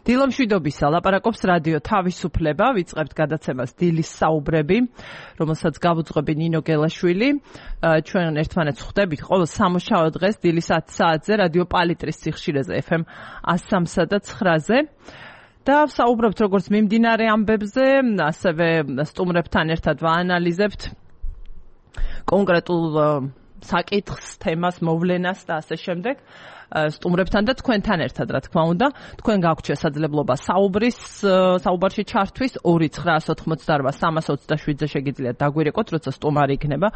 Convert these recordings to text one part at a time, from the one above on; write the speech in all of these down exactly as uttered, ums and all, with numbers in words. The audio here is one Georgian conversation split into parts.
დილამშვიდობისა ლაპარაკობს რადიო თავისუფლება, ვიწყებთ გადაცემას დილის საუბრები, რომელსაც გავუძღვები ნინო გელაშვილი. ჩვენ ერთმანეთს ხვდებით ყოველ სამუშაო დღეს დილის ათი საათზე რადიო პალიტრის სიხშირეზე ეფ ემ one oh three და nine-ზე. და საუბრობთ როგორც მიმდინარე ამბებზე, ასევე სტუმრებთან ერთად ვაანალიზებთ კონკრეტულ საკითხს, თემას, მოვლენას და ასე შემდეგ. სტუმრებთან და თქვენთან ერთად, რა თქმა უნდა, თქვენ გაქვთ შესაძლებლობა საუბრის, საუბარში ჩართვის ორი ცხრა ოთხმოცდარვა სამას ოცდაშვიდზე შეგიძლიათ დაგვირეკოთ, როცა სტუმარი იქნება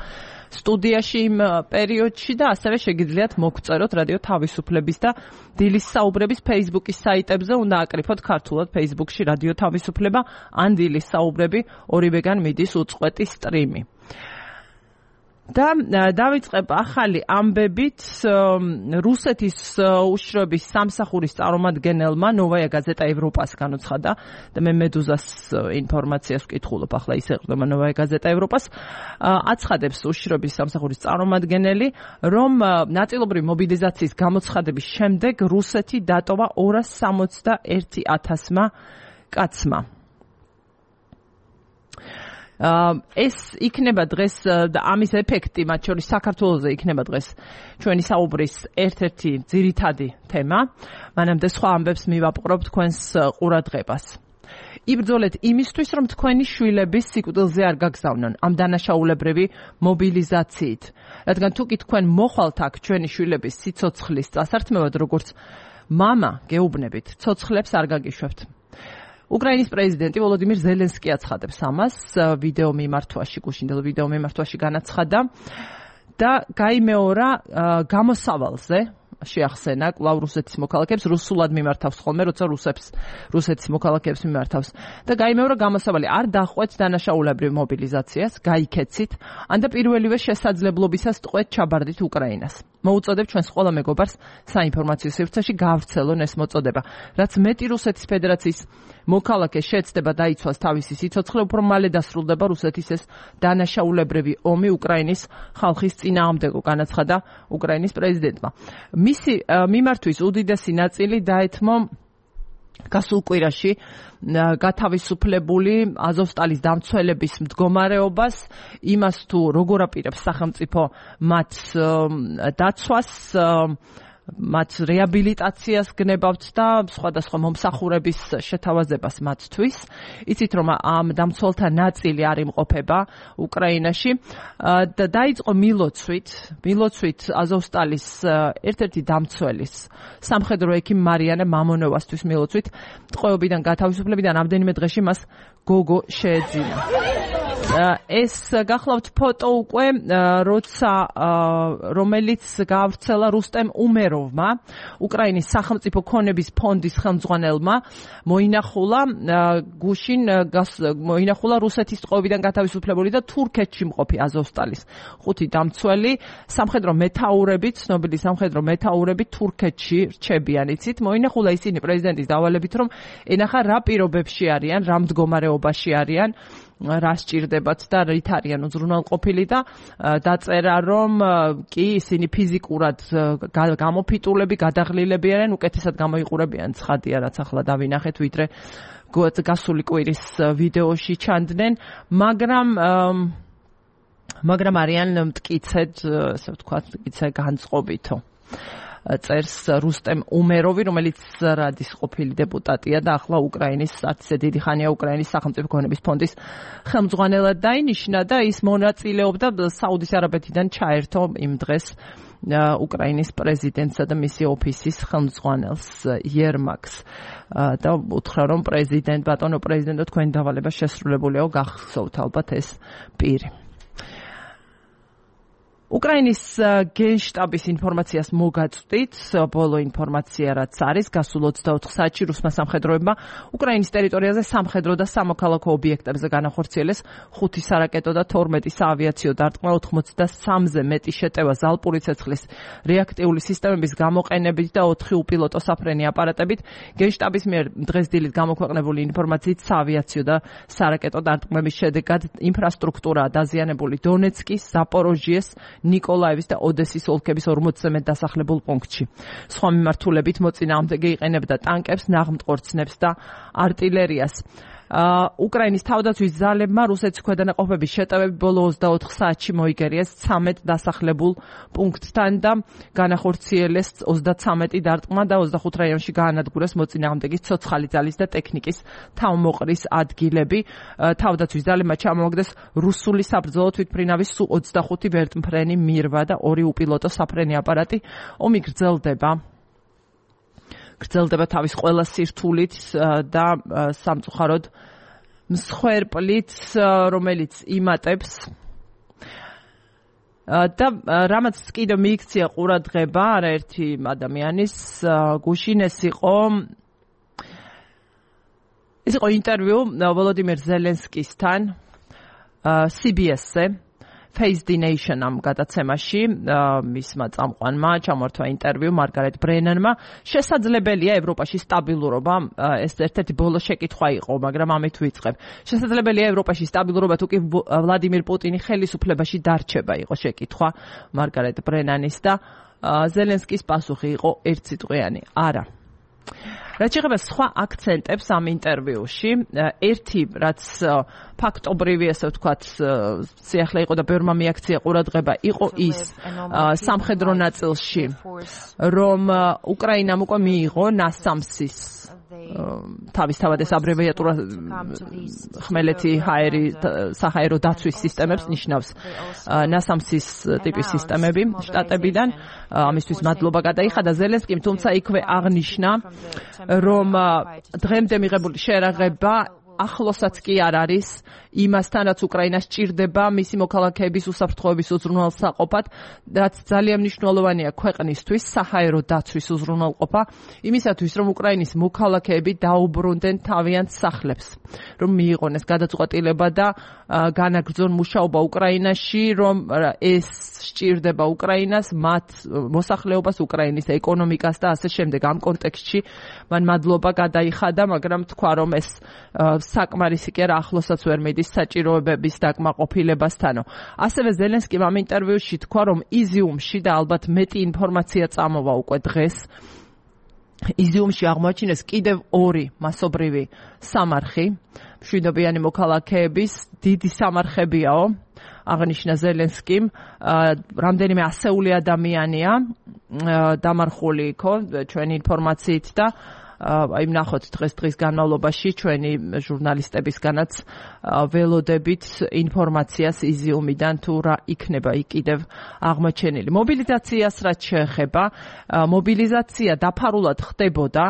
სტუდიაში იმ პერიოდში და ასევე შეგიძლიათ მოგწეროთ რადიო თავისუფლების და დილის საუბრების Facebook-ის საიტებზე, უნდა აკრიფოთ ქართულად Facebook-ში რადიო თავისუფლება ან დილის საუბრები, ორივეგან მიდის უწყვეტი სტრიმი. და დავიწყებ ახალი ამბებით რუსეთის უშიშროების სამსახურის წარმომადგენელმა ნოვაია გაზეტა ევროპას განუცხადა და მე მედუზას ინფორმაციას ვკითხულობ ახლა ის ეყრდნობა ნოვაია გაზეტა ევროპას აცხადებს უშიშროების სამსახურის წარმომადგენელი რომ ნაწილობრივი მობილიზაციის გამოცხადების შემდეგ რუსეთი დატოვა ორას სამოცდაერთი ათასმა კაცმა. ეს იქნება დღეს და ამის ეფექტი მათ შორის საქართველოზე იქნება დღეს ჩვენი საუბრის ერთ-ერთი ძირითადი თემა. მანამდე სხვა ამბებს მივაპყრობ თქვენს ყურადღებას. იბრძოლეთ იმისთვის, რომ თქვენი შვილების სიკვდილზე არ გაგზავნონ ამ დანაშაულებრივი მობილიზაციით. რადგან თუ კი თქვენ მოხვალთ აქ ჩვენი შვილების სიცოცხლის წასართმევად, როგორც მამა გეუბნებით, ცოცხლებს არ გაგიშვებთ. უკრაინის პრეზიდენტი ვოლოდიმირ ზელენსკი აცხადებს ამას ვიდეო მიმართვაში, გუშინდელ ვიდეო მიმართვაში განაცხადა და გაიმეორა გამოსავალზე შეახსენა კვლავ რუსეთის მოქალაქეებს, რუსულად მიმართავს ხოლმე, როცა რუსებს რუსეთის მოქალაქეებს მიმართავს და გაიმეორა გამოსავალი არ დახვეწ დანაშაულებრივ მობილიზაციას, გაიქეცით, ან და პირველივე შესაძლებლობისას ტყვეთ ჩაბარდით უკრაინას. მოუწოდებ ჩვენს ყველა მეგობარს საინფორმაციო სივრცეში გაავრცელონ ეს მოწოდება. რაც მეტი რუსეთის ფედერაციის მოქალაქე შეეცდება დაიცვას თავისი სიცოცხლე, უფრო მალე დასრულდება რუსეთის ეს დანაშაულებრივი ომი უკრაინის ხალხის წინააღმდეგო, განაცხადა უკრაინის პრეზიდენტმა. მისი მიმართვის უდიდესი ნაწილი დაეთმო გასულ კვირაში გათავისუფლებული აზოვსტალის დამცველების მდგომარეობას, იმას თუ როგორ აპირებს სახელმწიფო მათ დაცვას, მათ რეაბილიტაციას გნებავთ და სხვადასხვა მომსახურების შეთავაზებას მათთვის. იცით რომ ამ დამცველთა ნაწილი არ იმყოფება უკრაინაში და დაიწყო მილოცვით, მილოცვით აზოვსტალის ერთ-ერთი დამცველის, სამხედრო ექიმ მარიანა მამონოვასთვის მილოცვით, ტყვეობიდან გათავისუფლებიდან რამდენიმე დღეში მას გოგო შეეძინა. ეს გახლავთ ფოტო უკვე, როცა რომელიც გაავრცელა რუსტემ უმეროვმა, უკრაინის სახელმწიფო ქონების ფონდის ხელმძღვანელმა, მოინახულა გუშინ მოინახულა რუსეთის ტყვეობიდან გათავისუფლებული და თურქეთში მყოფი აზოვსტალის ხუთი დამცველი, სამხედრო მეთაურები, ცნობილი სამხედრო მეთაურები თურქეთში რჩებიან. იცით, მოინახულა ისინი პრეზიდენტის დავალებით, რომ ენახა რა პირობებში არიან, რა მდგომარეობაში არიან, რა სჭირდებათ და რით არიან უზრუნველყოფილი და დაწერა რომ კი ისინი ფიზიკურად გამოფიტულები, გადაღლილები არიან, უკეთესად გამოიყურებიან, ცხადია რაც ახლა დავინახეთ, ვიდრე გასული კვირის ვიდეოში ჩანდნენ, მაგრამ მაგრამ არიან მტკიცედ, ასე ვთქვათ, მტკიცე განწყობითო. წერს რუსტემ უმეროვი, რომელიც რადის ყოფილი დეპუტატია და ახლა უკრაინის არც ისე დიდი ხანია უკრაინის სახელმწიფო ქონების ფონდის ხელმძღვანელად დაინიშნა და ის მონაწილეობდა საუდის არაბეთიდან ჩაერთო იმ დღეს უკრაინის პრეზიდენტსა და მისი ოფისის ხელმძღვანელს იერმაკს და უთხრა რომ პრეზიდენტ ბატონო პრეზიდენტო თქვენი დავალება შესრულებულია, გახსოვთ ალბათ ეს პირი. უკრაინის გენშტაბის ინფორმაციას მოგაწვდით, ბოლო ინფორმაცია რაც არის, გასულ ოცდაოთხ საათში რუსმა სამხედროებმა უკრაინის ტერიტორიაზე სამხედრო და სამოქალაქო ობიექტებზე განახორციელეს ხუთი სარაკეტო და თორმეტი საავიაციო დარტყმა, ოცდასამზე მეტი შეტევა ზალპური ცეცხლის რეაქტიული სისტემების გამოყენებით და ოთხი უპილოტო საფრენი აპარატებით. გენშტაბის მიერ დღეს დილით გამოქვეყნებული ინფორმაციით საავიაციო და სარაკეტო დარტყმების შედეგად ინფრასტრუქტურაა დაზიანებული დონეცკის, ზაპოროჟიეს, ნიკოლაევის და ოდესის ოლქების ორმოცზე მეტ დასახლებულ პუნქტში. სხვა მიმართულებით მოწინააღმდეგე იყენებდა ტანკებს, ნაღმტყორცნებს და артиლერიას. უკრაინის თავდაცვის ძალებმა რუსეთის ქვედანაყოფების შეტევები ბოლო ოცდაოთხ საათში მოიგერიეს ცამეტ დასახლებულ პუნქტთან და განახორციელეს ოცდაცამეტი დარტყმა და ოცდახუთ რაიონში გაანადგურეს მოწინააღმდეგის ცოცხალი ძალის და ტექნიკის თავმოყრის ადგილები. თავდაცვის ძალებმა ჩამოაგდეს რუსული საბრძოლო თვითმფრინავის სულ ოცდახუთი ვერტმფრენი მირვა და ორი უპილოტო საფრენი აპარატი. ომი გრძელდება. გრძელდება თავის ყველა სირთულით და სამწუხაროდ მსხვერპლით, რომელიც იმატებს და რამაც კიდევ მიიქცია ყურადღება არაერთი ადამიანის გუშინ ეს იყო ეს იყო ინტერვიუ ვოლოდიმირ ზელენსკისთან C B S-ზე Face the Nation ამ გადაცემაში მისმა წამყვანმა ჩამოართვა ინტერვიუ მარგარეტ ბრენანმა. შესაძლებელია ევროპაში სტაბილურობა, ეს ერთ-ერთი ბოლო შეკითხვა იყო, მაგრამ ამით ვიწყებ. შესაძლებელია ევროპაში სტაბილურობა თუ კი ვლადიმირ პუტინი ხელისუფლებაში დარჩება, იყო შეკითხვა მარგარეტ ბრენანის და ზელენსკის პასუხი იყო ერთსიტყვიანი, არა. რაც შეეხება სხვა აქცენტებს ამ ინტერვიუში, ერთი რაც ფაქტობრივი, ასე ვთქვათ, სიახლე იყო და ბევრმა მიაქცია ყურადღება, იყო ის სამხედრო ნაწილში, რომ უკრაინამ უკვე მიიღო ნასამსის თავისთავად ეს აბრევიატურა ხმელეთი ჰაერი საჰაერო დაცვის სისტემებს ნიშნავს ნასამსის ტიპის სისტემები შტატებიდან. ამისთვის მადლობა გადაიხადა ზელენსკიმ, თუმცა იქვე აღნიშნა, რომ დღემდე მიღებული შერაღება ახლოსაც კი არ არის იმასთან, რაც უკრაინას სჭირდება მისი მოქალაქეების უსაფრთხოების უზრუნველსაყოფად, რაც ძალიან მნიშვნელოვანია ქვეყნისთვის, საჰაერო დაცვის უზრუნველყოფა, იმისათვის, რომ უკრაინის მოქალაქეები დაუბრუნდნენ თავიანთ სახლებს, რომ მიიღონეს გადაწყვეტილება და განაგრძონ მუშაობა უკრაინაში, რომ ეს სჭირდება უკრაინას, მათ მოსახლეობას, უკრაინის ეკონომიკას და ასე შემდეგ. ამ კონტექსტში მან მადლობა გადაიხადა, მაგრამ თქვა, რომ ეს საკმარისი კი არა, ახლოსაც ვერ მიდის საჭიროებების დაკმაყოფილებასთანო. ასევე ზელენსკიმ ამ ინტერვიუში თქვა, რომ იზიუმში და ალბათ მეტი ინფორმაცია წამოვა უკვე დღეს, იზიუმში აღმოაჩინეს კიდევ ორი მასობრივი სამარხი, მშვიდობიანი მოქალაქეების დიდი სამარხებიაო, აღნიშნა ზელენსკიმ, რამდენიმე ასეული ადამიანია დამარხული იქო ჩვენი ინფორმაციით და აი ნახოთ დღეს დღის განმავლობაში ჩვენი ჟურნალისტებისგანაც ველოდებით ინფორმაციას იზიუმიდან თუ რა იქნება იქ კიდევ აღმოჩენილი. მობილიზაციას რაც შეეხება, მობილიზაცია დაფარულად ხდებოდა,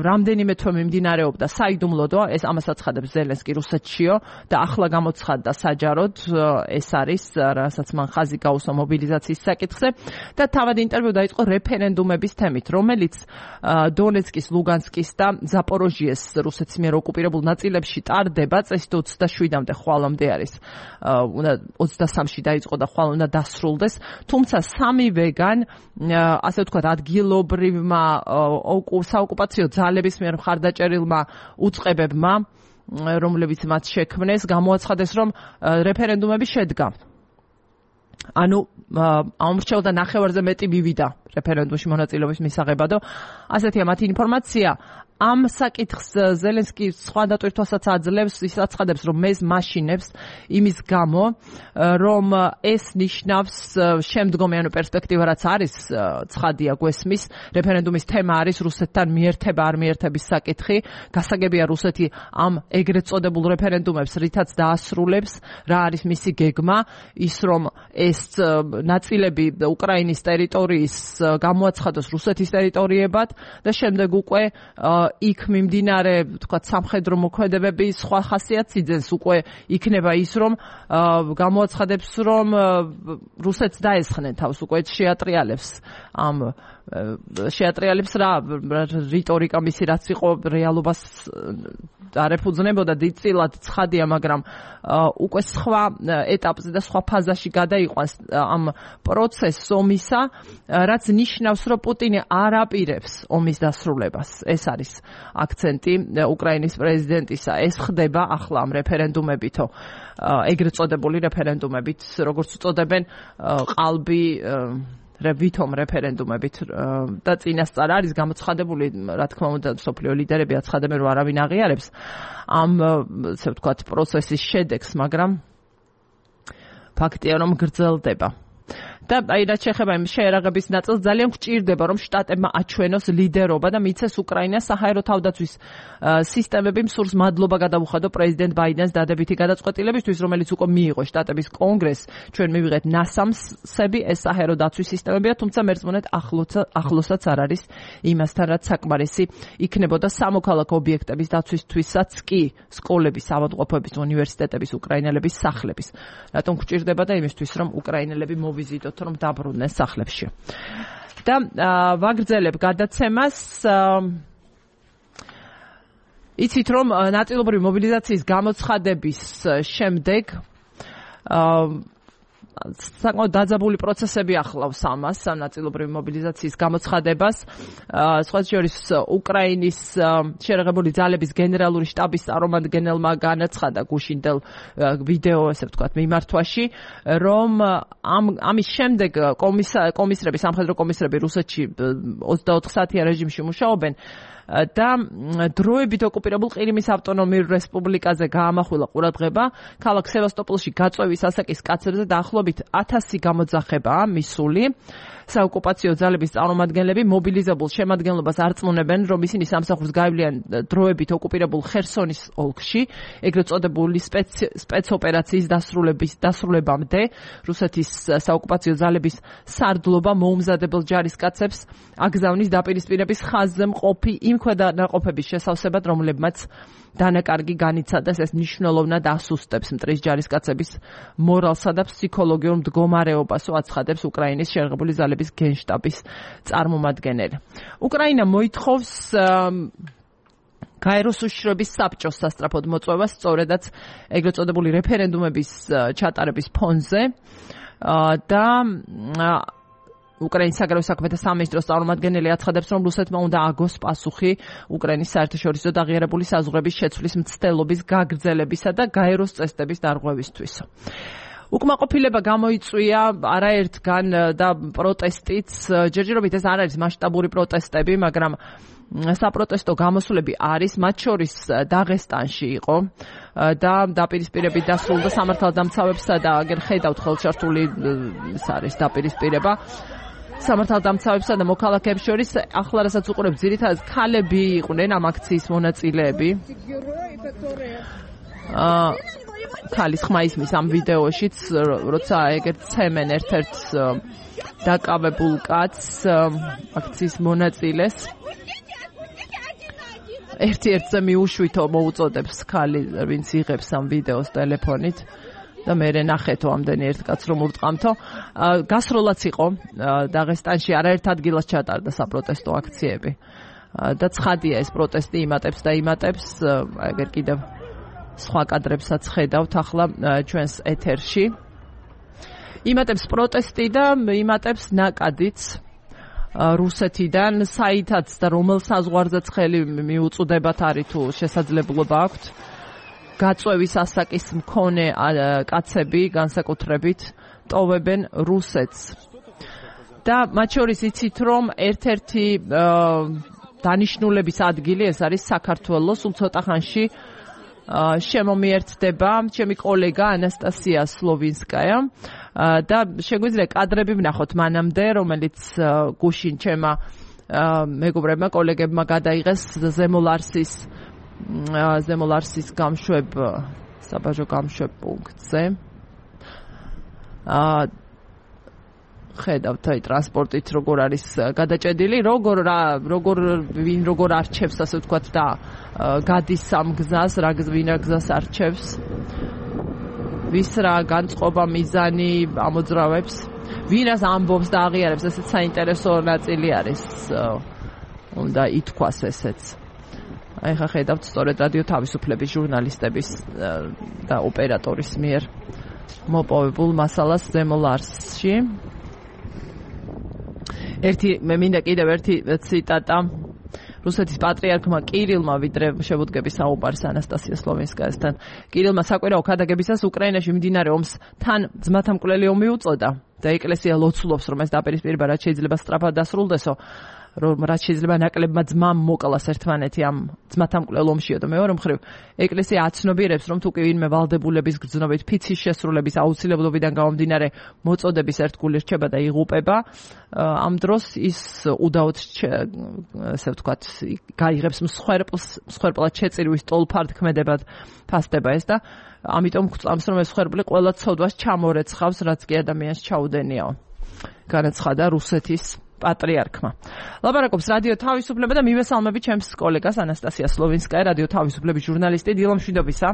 რამდენიმე თვე მიმდინარეობდა საიდუმლოდო, ეს ამას აცხადებს ზელენსკი რუსეთშიო და ახლა გამოცხადდა საჯაროდ, ეს არის რასაც მან ხაზი გაუსვა მობილიზაციის საკითხზე და თავად ინტერვიუ დაიწყო რეფერენდუმების თემით, რომელიც დონეცკის, ლუგანსკის და ზაპოროჟიეს რუსეთის მიერ ოკუპირებულ ნაწილებში ტარდება, წესით ოცდაშვიდამდე ხვალამდე არის, უნდა ოცდასამში დაიწყო და ხვალ უნდა დასრულდეს, თუმცა სამივეგან, ასე ვთქვათ, ადგილობრივმა საოკუპაციო ძალების მიერ მხარდაჭერილმა უწყებებმა, რომლებიც მათ შექმნეს, გამოაცხადეს, რომ რეფერენდუმები შედგა. ანუ ამორჩეულდა ნახევარზე მეტი მივიდა რეფერენდუმში მონაწილეობის მისაღებადო. ასეთია მათი ინფორმაცია. ამ საკითხს ზელენსკი სხვა დატვირთვასაც აძლევს, ის აცხადებს, რომ მეს მაშინებს იმის გამო, რომ ეს ნიშნავს შემდგომი პერსპექტივა, რაც არის ცხადია გვესმის, რეფერენდუმის თემა არის რუსეთთან მიერთება არ მიერთების საკითხი, გასაგებია რუსეთი ამ ეგრეთ წოდებულ რეფერენდუმებს რითაც დაასრულებს, რა არის მისი გეგმა, ის რომ ეს ნაწილები უკრაინის ტერიტორიის გამოაცხადოს რუსეთის ტერიტორიებად და შემდეგ უკვე იქ მიმდინარე, ვთქვათ, სამხედრო მოქმედებები სხვა ხასიათს იძენს, უკვე იქნება ის, რომ გამოაცხადებს, რომ რუსეთს დაესხნენ თავს, უკვე შეატრიალებს ამ შეატრიალებს რა რიტორიკა მისი რაც იყო რეალობას არ ეფუძნებოდა დიდწილად ცხადია, მაგრამ უკვე სხვა ეტაპზე და სხვა ფაზაში გადაიყვანს ამ პროცესს ომისა, რაც ნიშნავს, რომ პუტინი არ აპირებს ომის დასრულებას. ეს არის აქცენტი უკრაინის პრეზიდენტისა. ეს ხდება ახლა ამ რეფერენდუმებითო, ეგრეთ წოდებული რეფერენდუმებით, როგორც უწოდებენ, ყალბი ვითომ რეფერენდუმებით და წინასწარ არის გამოცხადებული, რა თქმა უნდა, მსოფლიო ლიდერები აცხადებენ, რომ არავინ აღიარებს ამ, ასე ვთქვათ, პროცესის შედეგს, მაგრამ ფაქტია, რომ გრძელდება. და აი რაც შეეხება იმ შეერაღების ნაწილს, ძალიან გვჭირდება, რომ შტატებმა აჩვენოს ლიდერობა და მიცეს უკრაინას საჰაერო თავდაცვის სისტემები მსურს მადლობა გადაუხადო პრეზიდენტ ბაიდენს დადებითი გადაწყვეტილებისთვის, რომელიც უკვე მიიღო შტატების კონგრესს. ჩვენ მივიღეთ ნასამსები, ეს საჰაერო დაცვის სისტემებია, თუმცა მერწმუნეთ ახლოსაც არ არის იმასთან, რაც საკმარისი იქნებოდა სამოქალაქო ობიექტების დაცვისთვისაც კი სკოლების, ავადმყოფოების, უნივერსიტეტების, უკრაინელების სახლების. რატომ გვჭირდება და იმისთვის, რომ უკრაინელები მოვიზიდოთ, რომ დაბრუნდნენ სახლებში. და ვაგრძელებ გადაცემას. იცით, რომ ნაწილობრივი მობილიზაციის გამოცხადების შემდეგ საკმაოდ დაძაბული პროცესები ახლავს ამას, ნაწილობრივი მობილიზაციის გამოცხადებას. სხვა შორის უკრაინის შეერაღებული ძალების გენერალური შტაბის წარმომადგენელმა განაცხადა გუშინდელ ვიდეო, ესე ვთქვათ, მიმართვაში, რომ ამ ამის შემდეგ კომისრები, სამხედრო კომისრები რუსეთში ოცდაოთხ საათიან რეჟიმში მუშაობენ და დროებით ოკუპირებულ ყირიმის ავტონომიურ რესპუბლიკაზე გაამახვილა ყურადღება. ქალაქ სევასტოპოლში გაწვევის ასაკის კაცებზე დაახლოებით ათასი გამოძახებაა მისული. საოკუპაციო ძალების წარმომადგენლები მობილიზებულ შემადგენლობას არწმუნებენ, რომ ისინი სამსახურს გაივლიან დროებით ოკუპირებულ ხერსონის ოლქში, ეგრეთ წოდებული სპეცოპერაციის დასრულების დასრულებამდე. რუსეთის საოკუპაციო ძალების სარდლობა მოუმზადებელ ჯარისკაცებს აგზავნის დაპირისპირების ხაზზე მყოფი იმ ქვედანაყოფების შესავსებად, რომლებმაც დანაკარგი განიცადეს, ეს მნიშვნელოვნად ასუსტებს მტრის ჯარისკაცების მორალსა და ფსიქოლოგიურ მდგომარეობას, აცხადებს უკრაინის შეერაღებული ძალების გენშტაბის წარმომადგენელი. უკრაინა მოითხოვს გაეროს უშიშროების საბჭოს სასწრაფოდ მოწვევას, სწორედაც ეგრეთ წოდებული რეფერენდუმების ჩატარების ფონზე და უკრაინის საგარეო საქმეთა სამინისტროს წარმომადგენელი აცხადებს, რომ რუსეთმა უნდა აგოს პასუხი უკრაინის საერთაშორისო და აღიარებული საზღვრების შეცვლის მცდელობის გაგრძელებისა და გაეროს წესდების დარღვევისთვის. უკმაყოფილება გამოიწვია არაერთგან და პროტესტიც, ჯერჯერობით ეს არ არის მასშტაბური პროტესტები, მაგრამ საპროტესტო გამოსვლები არის, მათ შორის დაღესტანში იყო და დაპირისპირებით დასრულდა სამართალდამცავებსა და აგერ ხედავთ ხელშართული ეს არის დაპირისპირება სამართალდამცავებსა და მოქალაქეებს შორის. ახლა რასაც უყურებ, ძირითადად ქალები იყვნენ ამ აქციის მონაწილეები. აა ქალის ხმა ისმის ამ ვიდეოშიც, როცა ეგეთ ცემენ ერთ-ერთ დაკავებულ კაცს აქციის მონაწილეს. ერთ-ერთზე მიუშვითო მოუწოდებს ქალი, ვინც იღებს ამ ვიდეოს ტელეფონით და მე ნახეთო ამდენი ერთ კაცს რომ ურტყამთო. გასროლაც იყო დაღესტანში, არაერთ ადგილას ჩატარდა საპროტესტო აქციები და ცხადია ეს პროტესტი იმატებს და იმატებს. ეგერ კიდევ სხვა კადრებსაც ხედავთ ახლა ჩვენს ეთერში. იმატებს პროტესტი და იმატებს ნაკადიც რუსეთიდან, საითაც და რომელ საზღვარზეც ხელი მიუწუდებათ არის თუ შესაძლებლობა აქვთ. გაწვევის ასაკის მქონე კაცები განსაკუთრებით ტოვებენ რუსეთს. და მათ შორის იცით, რომ ერთ-ერთი დანიშნულების ადგილი ეს არის საქართველო. სულ ცოტა ხანში შემომიერთდება ჩემი კოლეგა ანასტასია სლოვინსკაია და შეგვიძლია კადრები ვნახოთ მანამდე, რომელიც გუშინ ჩემმა მეგობრებმა, კოლეგებმა გადაიღეს ზემოლარსის ზემოლარსის გამშვებ საბაჟო გამშვებ პუნქტზე. აა ხედავთ აი ტრანსპორტით როგორ არის გადაჭედილი, როგორ რა როგორ ვინ როგორ არჩევს, ასე ვთქვათ, და გადის სამ გზას, რა ვინ რა გზას არჩევს, ვის რა განწყობა მიზანი ამოძრავებს, ვინ რას ამბობს და აღიარებს, ესეც საინტერესო ნაწილი არის, უნდა ითქვას ესეც. აი ხა ხედავთ სწორედ რადიო თავისუფლების ჟურნალისტების და ოპერატორის მიერ მოპოვებულ მასალას ზემოლარსში. ერთი მე მინდა კიდევ ერთი ციტატა რუსეთის პატრიარქმა კირილმა ვიდრე შევუდგების საუბარს ანასტასია სლოვინსკაიასთან. კირილმა საკვირაო ქადაგებისას უკრაინაში მიმდინარე ომს თან ძმათამკვლელი ომი უწოდა და ეკლესია ლოცულობს რომ ეს დაპირისპირება რაც შეიძლება სწრაფად დასრულდესო, რომ რაც შეიძლება ნაკლებმა ძმამ მოკალას ერთმანეთი ამ ძმათამკვლელ ომშიო და მეორე მხრივ ეკლესია აცნობიერებს რომ თუ კი ვინმე ვალდებულების გრძნობით ფიცის შესრულების აუცილებლობიდან გამომდინარე მოწოდების ერთგული რჩება და იღუპება, ამ დროს ის უდაოდ ესე ვთქვათ გაიღებს მსხვერპლს, მსხვერპლად შეწირვის ტოლფარდ ქმედებად ფასდება ეს და ამიტომ გვწამს რომ ეს მსხვერპლი ყველა ცოდვას ჩამორეცხავს, რაც კი ადამიანს ჩაუდენიაო. განაცხადა რუსეთის პატრიარქმა. ლაპარაკობს რადიო თავისუფლება და მივესალმები ჩემს კოლეგას ანასტასია სლოვინსკაია, რადიო თავისუფლების ჟურნალისტი. დილო მშვიდობისა.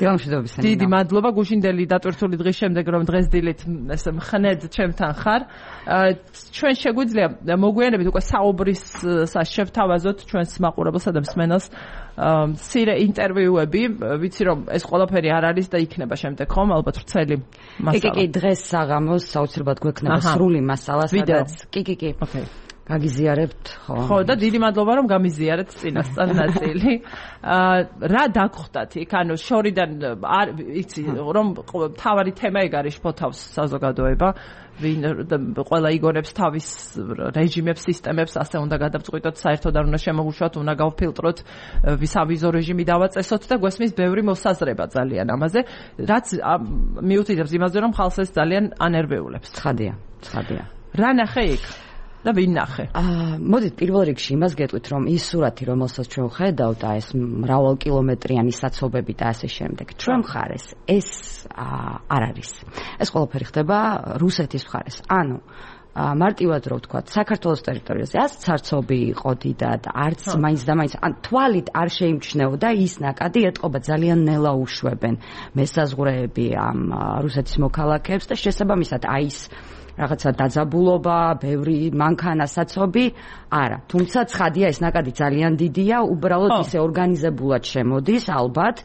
დილო მშვიდობისა. დიდი მადლობა გუშინდელი დატვირთული დღის შემდეგ რომ დღეს დილით ესე მხნედ ჩემთან ხარ. ჩვენ შეგვიძლია მოგვიანებით უკვე საუბრისას შევთავაზოთ ჩვენს მაყურებელსა და მსმენელს სირე ინტერვიუები, ვიცი რომ ეს ყველაფერი არ არის და იქნება შემდეგ ხომ ალბათ ვრცელი მასალა. კი კი დღეს საღამოს საოცრებად გვექნება სრული მასალა, სადაც კი კი კი. ოკეი. გაგიზიარებთ, ხო. ხო და დიდი მადლობა რომ გამიზიარეთ წინასწარ ნაწილი. რა დაგხვდათ იქ, ანუ შორიდან არ იცი რომ თავარი თემა ეგ არის შფოთავს საზოგადოება, ვინ ყველა იგონებს თავის რეჟიმებს, სისტემებს, ასე უნდა გადავწყვიტოთ, საერთოდ არ უნდა შემოგვუშვათ, უნდა გავფილტროთ, ვისავიზო რეჟიმი დავაწესოთ და გვესმის ბევრი მოსაზრება ძალიან ამაზე, რაც მიუთითებს იმაზე, რომ ხალხს ეს ძალიან ანერვეულებს. ცხადია, ცხადია. რა ნახე იქ? და ვინ ნახე? აა მოდით პირველ რიგში იმას გეტყვით რომ ის სურათი რომელსაც ჩვენ ხედავთ და ეს მრავალ კილომეტრიანი საცობები და ასე შემდეგ ჩვენ მხარეს ეს არ არის. ეს ყველაფერი ხდება რუსეთის მხარეს. ანუ მარტივად რო ვთქვათ საქართველოს ტერიტორიაზე არც ცარცობი იყო დიდად, არც მაინც და მაინც ან თვალით არ შეიმჩნეოდა ის ნაკადი ეტყობა ძალიან ნელა უშვებენ მესაზღვრეები ამ რუსეთის მოქალაქეებს და შესაბამისად აი ეს რაღაცა დაძაბულობა, ბევრი მანქანა, საცობი, არა. თუმცა ცხადია ეს ნაკადი ძალიან დიდია, უბრალოდ ისე ორგანიზებულად შემოდის, ალბათ,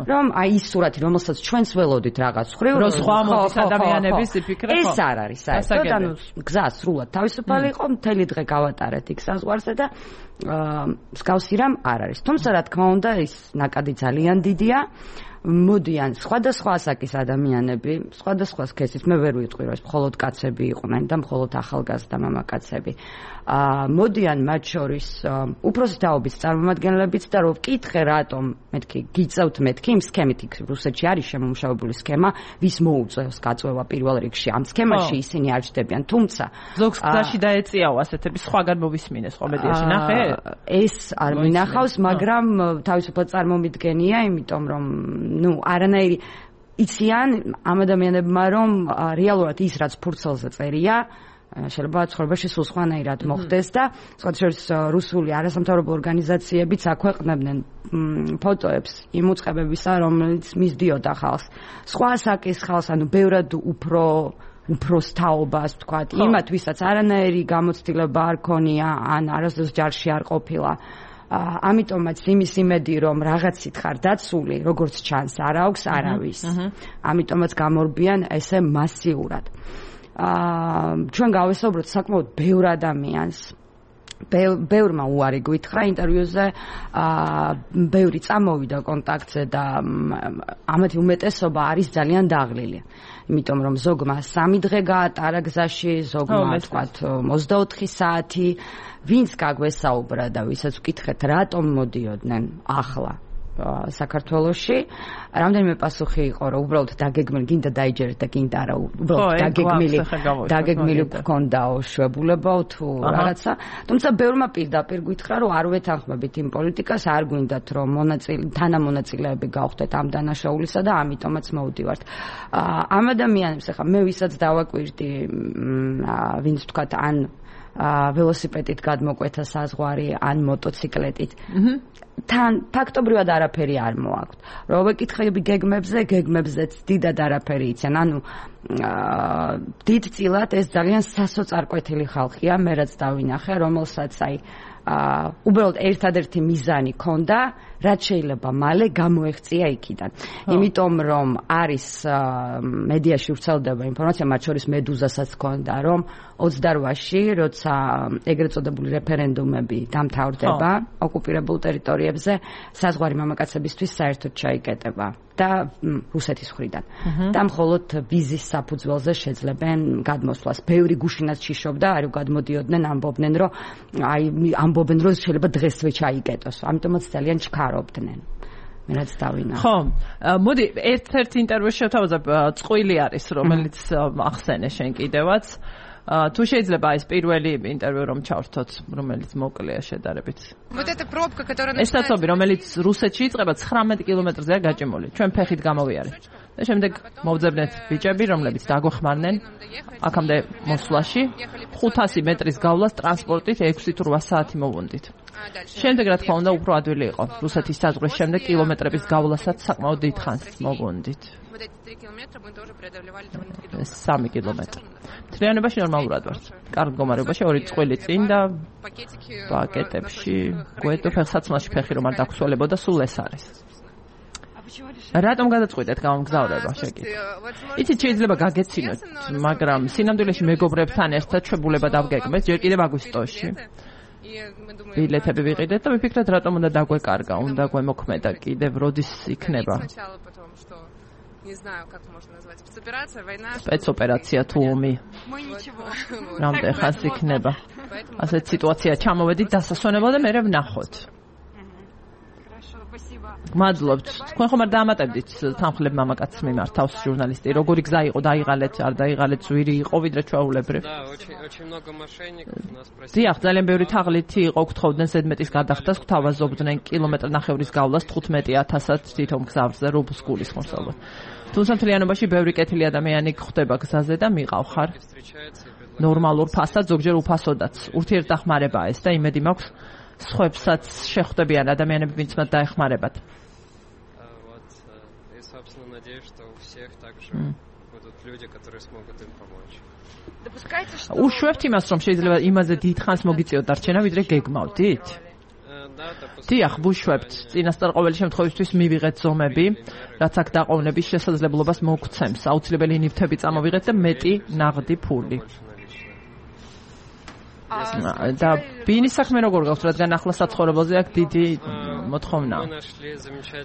რომ აი ის სურათი, რომელსაც ჩვენც ველოდით რაღაც ხრივ, რო სხვა მოდის ადამიანების იფიქრე, ხო. ეს არ არის საერთოდ, ანუ გზა სრულად თავისუფალი იყო, მთელი დღე გავატარეთ იქ საზღვარზე და მსგავსი რამ არ არის. თუმცა რა თქმა უნდა, ის ნაკადი ძალიან დიდია. მოდიან სხვადასხვა ასაკის ადამიანები, სხვადასხვა სქესის, მე ვერ ვიტყვი რომ ეს მხოლოდ კაცები იყვნენ და მხოლოდ ახალგაზრდა მამაკაცები. აა მოდიან მათ შორის უფროსი თაობის წარმომადგენლებიც და რო ვკითხე რატომ მეთქი გიწევთ მეთქი იმ სქემით იქ რუსეთში არის შემომუშავებული სქემა, ვის მოუწევს გაწვევა პირველ რიგში ამ სქემაში ისინი არ ჩდებიან, თუმცა ზოგს გზაში დაეწიაო ასეთები სხვაგან მოვისმინეს ხო მედიაში ნახე? ეს არ მინახავს, მაგრამ თავისუფლად წარმომიდგენია, იმიტომ რომ ну, არანაირი იციან ამ ადამიანებმა რომ რეალურად ის რაც ფურცელზე წერია შეიძლება ცხოვრებაში სულ სხვანაირად მოხდეს და სხვადასხვა რუსული არასამთავრობო ორგანიზაციებიც აქვეყნებდნენ ფოტოებს იმ უწყებებისა, რომელიც მისდიოდა ხალხს. სხვა ასაკის ხალხს, ანუ ბევრად უფრო უფროს თაობას ვთქვათ, იმათ ვისაც არანაირი გამოცდილება არ ქონია ან არასდროს ჯარში არ ყოფილა. ამიტომაც იმის იმედი რომ რაღაცით ხარ დაცული, როგორც ჩანს, არ აქვს არავის. ამიტომაც გამორბიან ესე მასიურად. აა ჩვენ გავესაუბროთ საკმაოდ ბევრ ადამიანს. ბევრმა უარი გვითხრა ინტერვიუზე, აა ბევრი წამოვიდა კონტაქტზე და ამათი უმეტესობა არის ძალიან დაღლილი. იმიტომ რომ ზოგმა სამი დღე გაატარა გზაში, ზოგმა თქვათ ოცდაოთხი საათი, ვინც გაგვესაუბრა და ვისაც ვკითხეთ რატომ მოდიოდნენ ახლა საქართველოში, რამდენიმე პასუხი იყო, რომ უბრალოდ დაგეგმილი, გინდა დაიჯერეთ და გინდა არა, უბრალოდ დაგეგმილი, დაგეგმილი გქონდაო შვებულებაო თუ რაღაცა. თუმცა ბევრმა პირდაპირ გითხრა, რომ არ ვეთანხმებით იმ პოლიტიკას, არ გვინდათ რომ მონაწილე, თანამონაწილეები გავხდეთ ამ დანაშაულისა და ამიტომაც მოვდივართ. ამ ადამიანებს ახლა მე ვისაც დავაკვირდი, ვინც თქვათ ან ველოსიპედით გადმოკვეთა საზღვარი, ან მოტოციკლეტით. თან ფაქტობრივად არაფერი არ მოაქვთ. რო ვეკითხები გეგმებზე, გეგმებზეც დიდად არაფერი იციან. ანუ დიდწილად ეს ძალიან სასოწარკვეთილი ხალხია, მე რაც დავინახე, რომელსაც აი უბრალოდ ერთადერთი მიზანი ქონდა რაც შეიძლება მალე გამოეღწია იქიდან. იმიტომ რომ არის მედიაში ვრცელდება ინფორმაცია, მათ შორის მედუზასაც ჰქონდა, რომ ოცდარვაში, როცა ეგრეთ წოდებული რეფერენდუმები დამთავრდება ოკუპირებულ ტერიტორიებზე, საზღვარი მამაკაცებისთვის საერთოდ ჩაიკეტება და რუსეთის მხრიდან. და მხოლოდ ვიზის საფუძველზე შეძლებენ გადმოსვლას. ბევრი გუშინაც ჩიშობდა, არ გადმოდიოდნენ, ამბობდნენ, რომ აი ამბობენ, რომ შეიძლება დღესვე ჩაიკეტოს. ამიტომაც ძალიან ჩქარობდნენ. მე რაც დავინახე. ხო, მოდი ერთ-ერთ ინტერვიუში შევთავაზებ, წყვილი არის, რომელიც ახსენე შენ კიდევაც. თუ შეიძლება ეს პირველი ინტერვიუ რომ ჩავრთოთ, რომელიც მოკლეა შედარებით. ეს საცობი, რომელიც რუსეთში იწყება ცხრამეტ კილომეტრზეა გაჭიმული. ჩვენ ფეხით გამოვიარეთ. და შემდეგ მოვძებნეთ ბიჭები, რომლებიც დაგვეხმარნენ აქამდე მოსვლაში, ხუთასი მეტრის გავლას ტრანსპორტით ექვსი თუ რვა საათი მოვუნდით. შემდეგ რა თქმა უნდა უფრო ადვილი იყო. რუსეთის საზღვრის შემდეგ კილომეტრების გავლასაც საკმაოდ დიდ ხანს მოვუნდით. სამი კილომეტრი. თლიანობაში ნორმალურად ვართ. კარგ მდგომარეობაში ორი წყვილი წინ და პაკეტებში გვეტო ფეხსაცმელში ფეხი რომ არ დაგცვალებოდა, სულ ეს არის. რატომ გადაწყვიტეთ გამგზავრება შეკითხვა? იცით შეიძლება გაგეცინოთ, მაგრამ სინამდვილეში მეგობრებთან ერთად ჩვეულება დავგეგმეთ ჯერ კიდევ აგვისტოში. ბილეთები ვიყიდეთ და ვიფიქრეთ რატომ უნდა დაგვეკარგა, უნდა გვემოქმედა კიდევ როდის იქნება. Не знаю, как можно назвать. Спецоперация, война. Спецоперация თუ ომი. რამდენ ხანს იქნება. ასეთ სიტუაცია ჩამოვედით დასასვენებლად და მერე ვნახოთ. მადლობთ. თქვენ ხომ არ დაამატებდით თანხლებ მამაკაცს მიმართ თავს ჟურნალისტი. როგორი გზა იყო, დაიღალეთ, არ დაიღალეთ, ზვირი იყო ვიდრე ჩვეულებრივ. Да, очень очень много мошенников нас просили. დიახ, ძალიან ბევრი თაღლითი იყო, გთხოვდნენ ზედმეტის გადახდას, გვთავაზობდნენ კილომეტრ ნახევრის გავლას თხუთმეტი ათასად თვითონ გზაზე რუბლს გულისხმობ. თუმცა მთლიანობაში ბევრი კეთილი ადამიანი გვხვდება გზაზე და მიყავხარ ნორმალურ ფასად, ზოგჯერ უფასოდაც. ურთიერთდახმარებაა ეს და იმედი მაქვს სხვებსაც შეხვდებიან ადამიანები, ვინც მათ დაეხმარებათ. Вот и собственно надеюсь, что у всех также будут люди, которые смогут им помочь. Допускайте, что უშვებთ იმას, რომ შეიძლება იმაზე დიდ ხანს მოგიწიოთ დარჩენა, ვიდრე გეგმავდით? დიახ, ვუშვებთ. წინასწარ ყოველი შემთხვევისთვის მივიღეთ ზომები, რაც აქ დაყოვნების შესაძლებლობას მოგცემს. აუცილებელი ნივთები წამოვიღეთ და მეტი ნაღდი ფული. და ბინის საქმე როგორ გაქვს, რადგან ახლა საცხოვრებელზე აქ დიდი მოთხოვნაა.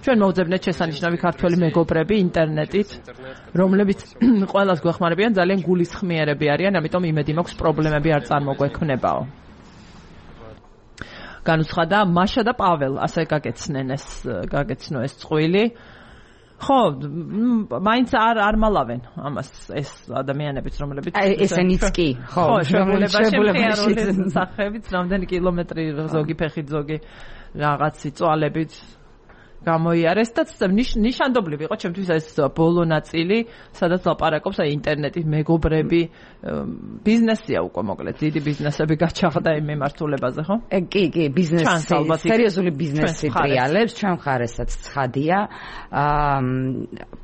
ჩვენ მოვძებნეთ შესანიშნავი ქართველი მეგობრები ინტერნეტით, რომლებიც ყველას გვეხმარებიან, ძალიან გულისხმიერები არიან, ამიტომ იმედი მაქვს პრობლემები არ წარმოგვექმნებაო. განუცხადა მაშა და პაվել, ასე გაგეცნენ ეს გაგეცნო ეს წყვილი. ხო, მაინც არ არ მალავენ ამას ეს ადამიანებიც, რომლებიც ესენიც კი, ხო, შემოლებაში სახეებით, რამდენი კილომეტრი ზოგი ფეხით, ზოგი რაღაცი წვალებით გამოიარეს და ნიშანდობლივ იყო ჩემთვის ეს ბოლო ნაწილი, სადაც ლაპარაკობს აი ინტერნეტის მეგობრები, ბიზნესია უკვე მოკლედ, დიდი ბიზნესები გაჩაღდა იმ მიმართულებაზე, ხო? კი, კი, ბიზნესი, სერიოზული ბიზნესი ტრიალებს, ჩვენ მხარესაც ცხადია. აა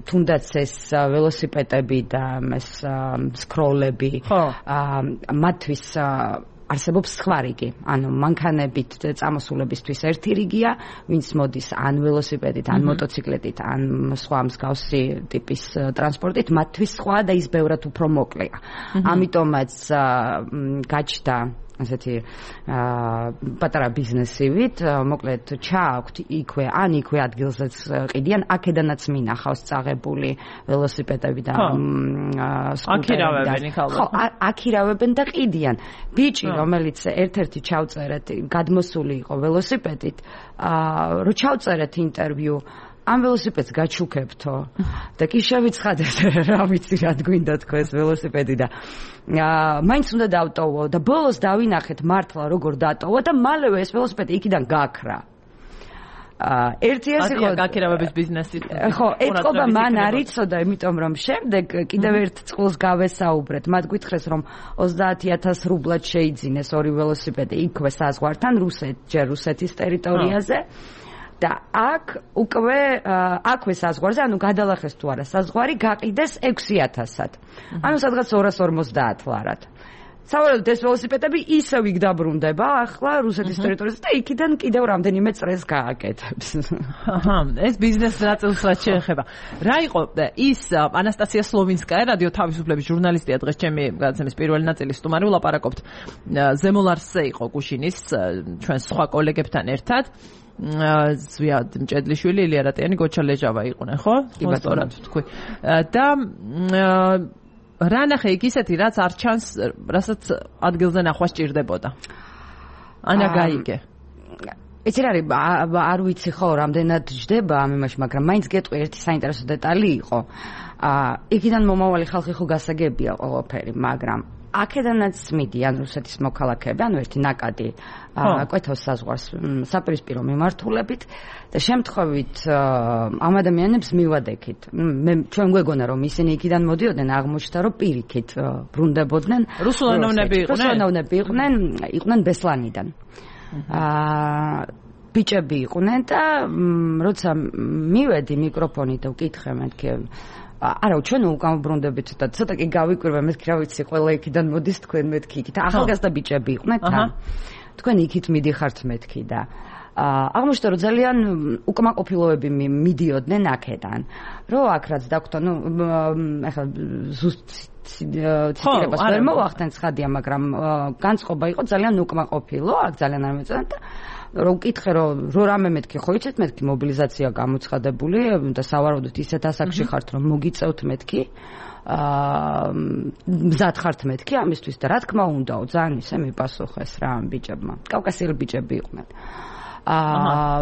თუნდაც ეს ველოსიპედები და ეს სკროლები, აა მათთვის არსებობს სხვა რიგი. ანუ მანქანებით წამოსულებისთვის ერთი რიგია, ვინც მოდის ან ველოსიპედით, ან მოტოციკლეტით, ან სხვა მსგავსი ტიპის ტრანსპორტით, მათთვის სხვა და ის ბევრად უფრო მოკლეა. ამიტომაც გაჩნდა ასეთი პატარა ბიზნესივით, მოკლედ ჩააქვთ იქვე, ან იქვე ადგილზეც ყიდიან, აქედანაც მინახავს წაღებული ველოსიპედები და სკუტერები. ხო, აქირავებენ და ყიდიან. ბიჭი, რომელიც ერთ-ერთი ჩავწერეთ, გადმოსული იყო ველოსიპედით, რო ჩავწერეთ ინტერვიუ, ამ ველოსიპედს გაჩუქებთო და კი შევიცხადეთ, რა ვიცი, რა გვინდა თქო ეს ველოსიპედი და მაინც უნდა დავტოვო და ბოლოს დავინახეთ მართლა როგორ დატოვო და მალევე ეს ველოსიპედი იქიდან გაქრა. ერთი ეს იყო გაქირავების ბიზნესი. ხო, ეთყობა მან არ იცოდა, იმიტომ რომ შემდეგ კიდევ ერთ წყულს გავესაუბრეთ. მათ გითხრეს რომ ოცდაათი ათას რუბლად შეიძინეს ორი ველოსიპედი იქვე საზღვართან, რუსეთ, ჯერ რუსეთის ტერიტორიაზე. და აქ უკვე აქვე საზღვარზე, ანუ გადალახეს თუ არა საზღვარი, გაყიდეს ექვსი ათასად. ანუ სადღაც ორას ორმოცდაათ ლარად. სავარაუდოდ ეს ველოსიპედები ისევ იქ დაბრუნდება ახლა რუსეთის ტერიტორიაზე და იქიდან კიდევ რამდენიმე წრეს გააკეთებს. აჰა, ეს ბიზნეს ნაწილს რაც შეეხება. რა იყო ის ანასტასია სლოვინსკაია, რადიო თავისუფლების ჟურნალისტია, დღეს ჩემი გადაცემის პირველი ნაწილის სტუმარი, ვლაპარაკობთ ზემოლარსზე იყო გუშინის ჩვენ სხვა კოლეგებთან ერთად. ზვიად მჭედლიშვილი, ილია რატიანი, გოჩა ლეჟავა იყვნენ, ხო? სწორად თქვი. და რა ნახე იქ ისეთი, რაც არ ჩანს, რასაც ადგილზე ნახვა სჭირდებოდა. ანა გაიგე. ეს რა არის, არ ვიცი ხო, რამდენად ჯდება ამ იმაში, მაგრამ მაინც გეტყვი ერთი საინტერესო დეტალი იყო. აა, იქიდან მომავალი ხალხი ხო გასაგებია ყველაფერი, მაგრამ აქედანაც მიდიან რუსეთის მოქალაქეები, ანუ ერთი ნაკადი კვეთავს საზღვარს საპირისპირო მიმართულებით და შემთხვევით ამ ადამიანებს მივადექით. მე ჩვენ გვეგონა რომ ისინი იქიდან მოდიოდნენ, აღმოჩნდა რომ პირიქით ბრუნდებოდნენ. რუსულენოვნები იყვნენ? რუსულენოვნები იყვნენ, იყვნენ ბესლანიდან. აა ბიჭები იყვნენ და როცა მივედი მიკროფონით და ვკითხე მეთქი არა, ჩვენ უკან ბრუნდებით და ცოტა კი გავიკვირვე, მეთქი რა ვიცი, ყველა იქიდან მოდის თქვენ მეთქი იქით. ახალგაზრდა ბიჭები იყვნენ თან. თქვენ იქით მიდიხართ მეთქი და აღმოჩნდა რომ ძალიან უკმაყოფილოები მიდიოდნენ აქედან. რო აქ რაც დაგვთან, ნუ ახლა ზუსტ ციტირებას ვერ მოვახდენ ცხადია, მაგრამ განწყობა იყო ძალიან უკმაყოფილო, აქ ძალიან არ მეწონათ და რო ვკითხე რომ რო რამე მეთქი ხო იცით მეთქი მობილიზაცია გამოცხადებული და სავარაუდოდ ისეთ ასაკში ხართ რომ მოგიწევთ მეთქი აა მზად ხართ მეთქი ამისთვის და რა თქმა უნდაო ძალიან ისე მიპასუხეს რა ამ ბიჭებმა კავკასიელი ბიჭები იყვნენ აა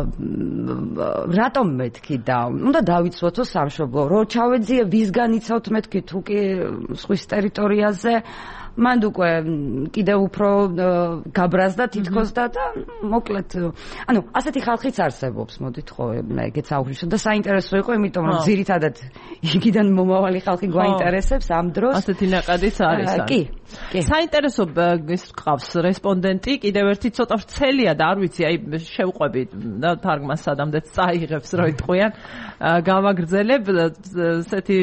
რატომ მეთქი და უნდა დავიცვათო სამშობლო რო ჩავეძიე ვისგან იცავთ მეთქი თუ კი სხვის ტერიტორიაზე მანდ უკვე კიდევ უფრო გაბრაზდა თითქოს და და მოკლედ ანუ ასეთი ხალხიც არსებობს მოდით ხო ეგეც აღვნიშნო და საინტერესო იყო იმიტომ რომ ძირითადად იქიდან მომავალი ხალხი გვაინტერესებს ამ დროს ასეთი ნაკადიც არის კი კი საინტერესო ის ყავს რესპონდენტი კიდევ ერთი ცოტა ვრცელია და არ ვიცი აი შევყვები და თარგმანს სადამდეც წაიღებს რო იტყვიან გავაგრძელებ ესეთი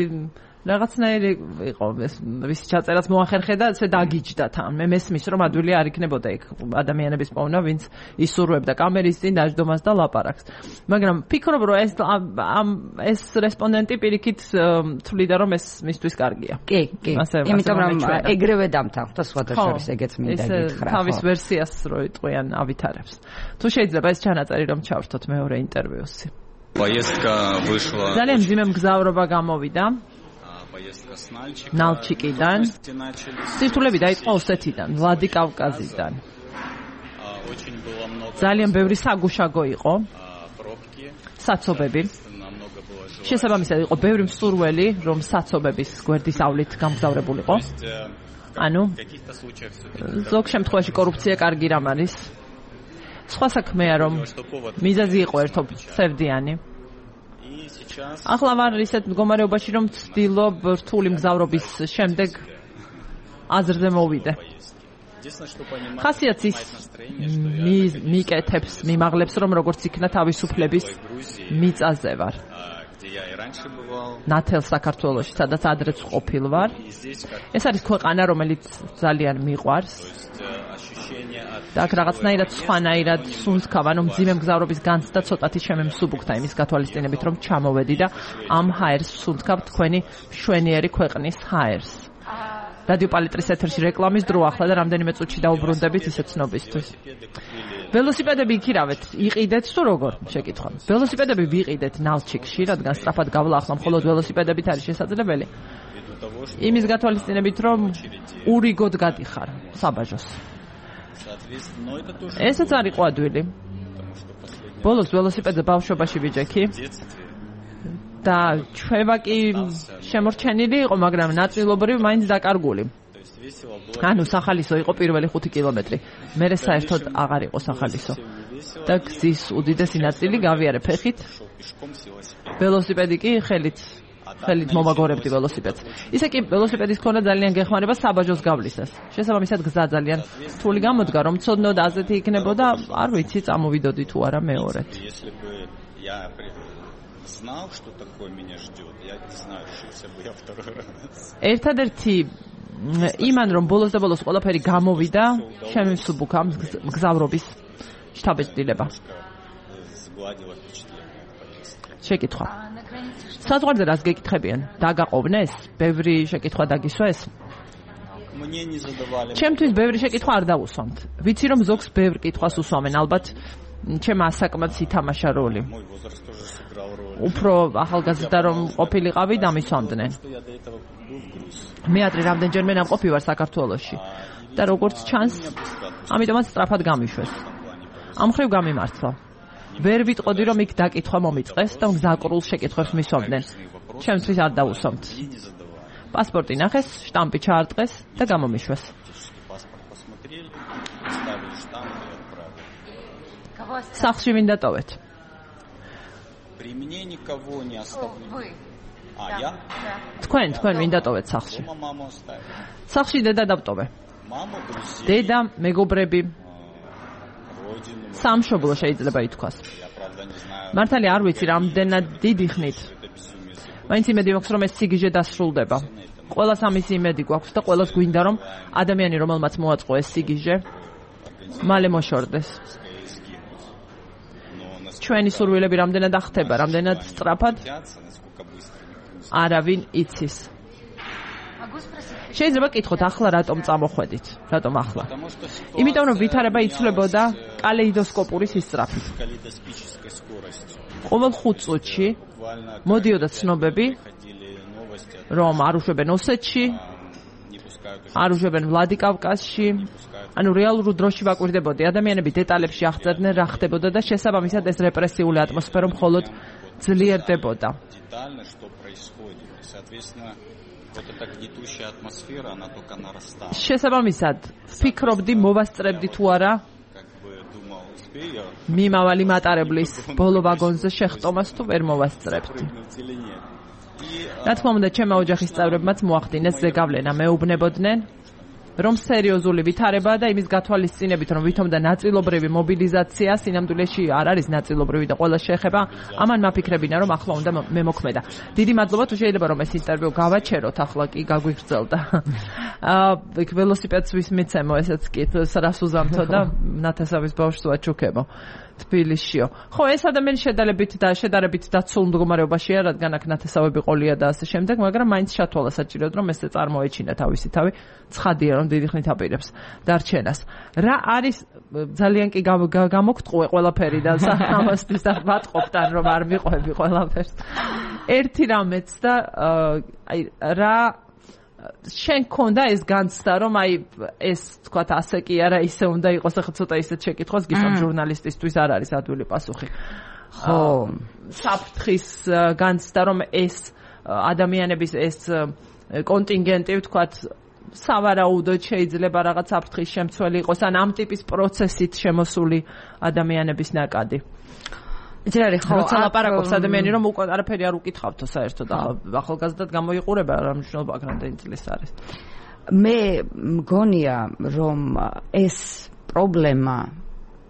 რაღაცნაირი იყო ეს ვის ჩაწერაც მოახერხე და ესე დაგიჯდა თან მე მესმის რომ ადვილი არ იქნებოდა იქ ადამიანების პოვნა ვინც ისურვებდა კამერის წინ დაждდომას და ლაპარაკს მაგრამ ფიქრობ რომ ეს ამ ეს რესპონდენტი პირიქით თვლიდა რომ ეს მისთვის კარგია კი კი იმიტომ რომ ეგრევე დამთანხმდა სხვადასხვა ეგეც მინდა გითხრა თავის ვერსიას რო იტყვიან ავითარებს თუ შეიძლება ეს ჩანაწერი რომ ჩავრთოთ მეორე ინტერვიუსი поездка вышла ძალიან მძიმე მგზავრობა გამოვიდა ნალჩიკიდან სირთულები დაიწყო ოსეთიდან ვლადიკავკაზიდან ძალიან ბევრი საგუშაგო იყო საცობები შესაბამისად იყო ბევრი მსურველი რომ საცობების გვერდის ავლით გამგზავრებულიყო ანუ ზოგ შემთხვევაში კორუფცია კარგი რამ არის სხვა საქმეა რომ მიზეზი იყო ერთობ სევდიანი ახლა ვარ ისეთ მდგომარეობაში რომ ვცდილობ რთული მგზავრობის შემდეგ აზრზე მოვიდე ხასიათს ის მიკეთებს მიმაღლებს რომ როგორც იქნა თავისუფლების მიწაზე ვარ ნათელ საქართველოში სადაც ადრეც ყოფილ ვარ ეს არის ქვეყანა რომელიც ძალიან მიყვარს და აქ რაღაცნაირად სხვანაირად სუნთქავ, ანუ მძიმე მგზავრობის განცდა ცოტათი შემემსუბუქდა იმის გათვალისწინებით, რომ ჩამოვედი და ამ ჰაერს სუნთქავ თქვენი მშვენიერი ქვეყნის ჰაერს. რადიო პალიტრის ეთერში რეკლამის დრო ახლა და რამდენიმე წუთში დაუბრუნდებით ისე ცნობისთვის. ველოსიპედები იქირავეთ, იყიდეთ თუ როგორ? შეკითხვა. ველოსიპედები ვიყიდეთ ნალჩიკში, რადგან სწრაფად გავლა ახლა მხოლოდ ველოსიპედებით არის შესაძლებელი. იმის გათვალისწინებით, რომ ურიგოდ გადიხარ საბაჟოს. ესაც არ იყო ადვილი. ბოლოს ველოსიპედზე ბავშვობაში ვიჯექი და ჩვევა კი შემორჩენილი იყო, მაგრამ ნაწილობრივ მაინც დაკარგული. ანუ სახალისო იყო პირველი ხუთი კილომეტრი. მერე საერთოდ აღარ იყო სახალისო. და გზის უდიდესი ნაწილი გავიარე ფეხით. ველოსიპედი კი ხელით ხელით მომაგორებდი ველოსიპედს. ისე კი ველოსიპედის ქონა ძალიან გეხმარება საბაჟოს გავლისას. შესაბამისად გზა ძალიან რთული გამოდგა, რომ ცოდნოდ აზეთი იქნებოდა, არ ვიცი, წამოვიდოდი თუ არა მეორედ. ერთადერთი იმან რომ ბოლოს და ბოლოს ყველაფერი გამოვიდა შემისუბუქა მგზავრობის შთაბეჭდილება. შეკითხვა. საზღვარზე რას გეკითხებიან? დაგაყოვნეს? ბევრი შეკითხვა დაგისვეს? ჩემთვის ბევრი შეკითხვა არ დავუსვამთ. ვიცი რომ ზოგს ბევრ კითხვას უსვამენ, ალბათ ჩემ ასაკმაც ითამაშა როლი. უფრო ახალგაზრდა რომ ყოფილიყავი დამისვამდნენ. მე ადრე რამდენჯერმე ნამყოფი ვარ საქართველოში და როგორც ჩანს, ამიტომაც სწრაფად გამიშვეს. ამ მხრივ გამიმართლა. ვერ ვიტყოდი რომ იქ დაკითხვა მომიწყეს და მგზავრულ შეკითხვებს მისვამდნენ. ჩემთვის არ დავუსვამთ. პასპორტი ნახეს, შტამპი ჩაარტყეს და გამომიშვეს. სახლში ვინ დატოვეთ? თქვენ, თქვენ ვინ დატოვეთ სახლში? სახლში დედა დავტოვე. დედა, მეგობრები, სამშობლო შეიძლება ითქვას. მართალი არ ვიცი რამდენად დიდი ხნით. მაინც იმედი მაქვს რომ ეს სიგიჟე დასრულდება. ყველას ამისი იმედი გვაქვს და ყველას გვინდა რომ ადამიანი რომელმაც მოაწყო ეს სიგიჟე მალე მოშორდეს. ჩვენი სურვილები რამდენად ახტება, რამდენად სწრაფად არავინ იცის. შეიძლება კითხოთ ახლა რატომ წამოხვედით? რატომ ახლა? იმიტომ რომ ვითარება იცვლებოდა კალეიდოსკოპური სისწრაფით. ყოველ ხუთ წუთში მოდიოდა ცნობები, რომ არ უშვებენ ოსეთში, არ უშვებენ ვლადიკავკაზში, ანუ რეალურ დროში ვაკვირდებოდი. ადამიანები დეტალებში აღწერდნენ რა ხდებოდა და შესაბამისად ეს რეპრესიული ატმოსფერო მხოლოდ ძლიერდებოდა. შესაბამისად, ვფიქრობდი მოვასწრებდი თუ არა მიმავალი მატარებლის ბოლო ვაგონზე შეხტომას თუ ვერ მოვასწრებდი. რა თქმა უნდა, ჩემმა ოჯახის წევრებმაც მოახდინეს ზეგავლენა, მეუბნებოდნენ, რომ სერიოზული ვითარებაა და იმის გათვალისწინებით, რომ ვითომ და ნაწილობრივი მობილიზაცია სინამდვილეში არ არის ნაწილობრივი და ყველა შეეხება, ამან მაფიქრებინა, რომ ახლა უნდა მე მოქმედა. დიდი მადლობა, თუ შეიძლება რომ ეს ინტერვიუ გავაჩეროთ, ახლა კი გაგვიგრძელდა. აა, იქ ველოსიპედს ვის მიცემო, ესეც კი რას უზამთო და ნათესავის ბავშვს ვაჩუქებო. თბილისშიო. ხო, ეს ადამიანი შედარებით და შედარებით დაცულ მდგომარეობაშია, რადგან აქ ნათესავები ყოლია და ასე შემდეგ, მაგრამ მაინც ჩათვალა საჭიროდ, რომ ესე წარმოეჩინა თავისი თავი. ცხადია, რომ დიდი ხნით აპირებს დარჩენას. რა არის ძალიან კი გამოგტყუე ყველაფერი და ამას πιστად ვატყობთ, ან რომ არ მიყვები ყველაფერს. ერთი რამეც და აი რა შენ ქონდა ეს განცდა, რომ აი ეს თქვა ასე კი არა, ისე უნდა იყოს, ახლა ცოტა ისეთ შეკითხვას გისვამ ჟურნალისტისთვის არ არის ადვილი პასუხი. ხო, საფრთხის განცდა, რომ ეს ადამიანების ეს კონტინგენტი თქვა სავარაუდოდ შეიძლება რაღაც საფრთხის შემცველი იყოს, ან ამ ტიპის პროცესით შემოსული ადამიანების ნაკადი. იცი რა ხო როცა ლაპარაკობს ადამიანი რომ უკვე არაფერი არ უკითხავთო საერთოდ ახალგაზრდად გამოიყურება რა მნიშვნელობა აქვს რამდენი წლის არის. მე მგონია რომ ეს პრობლემა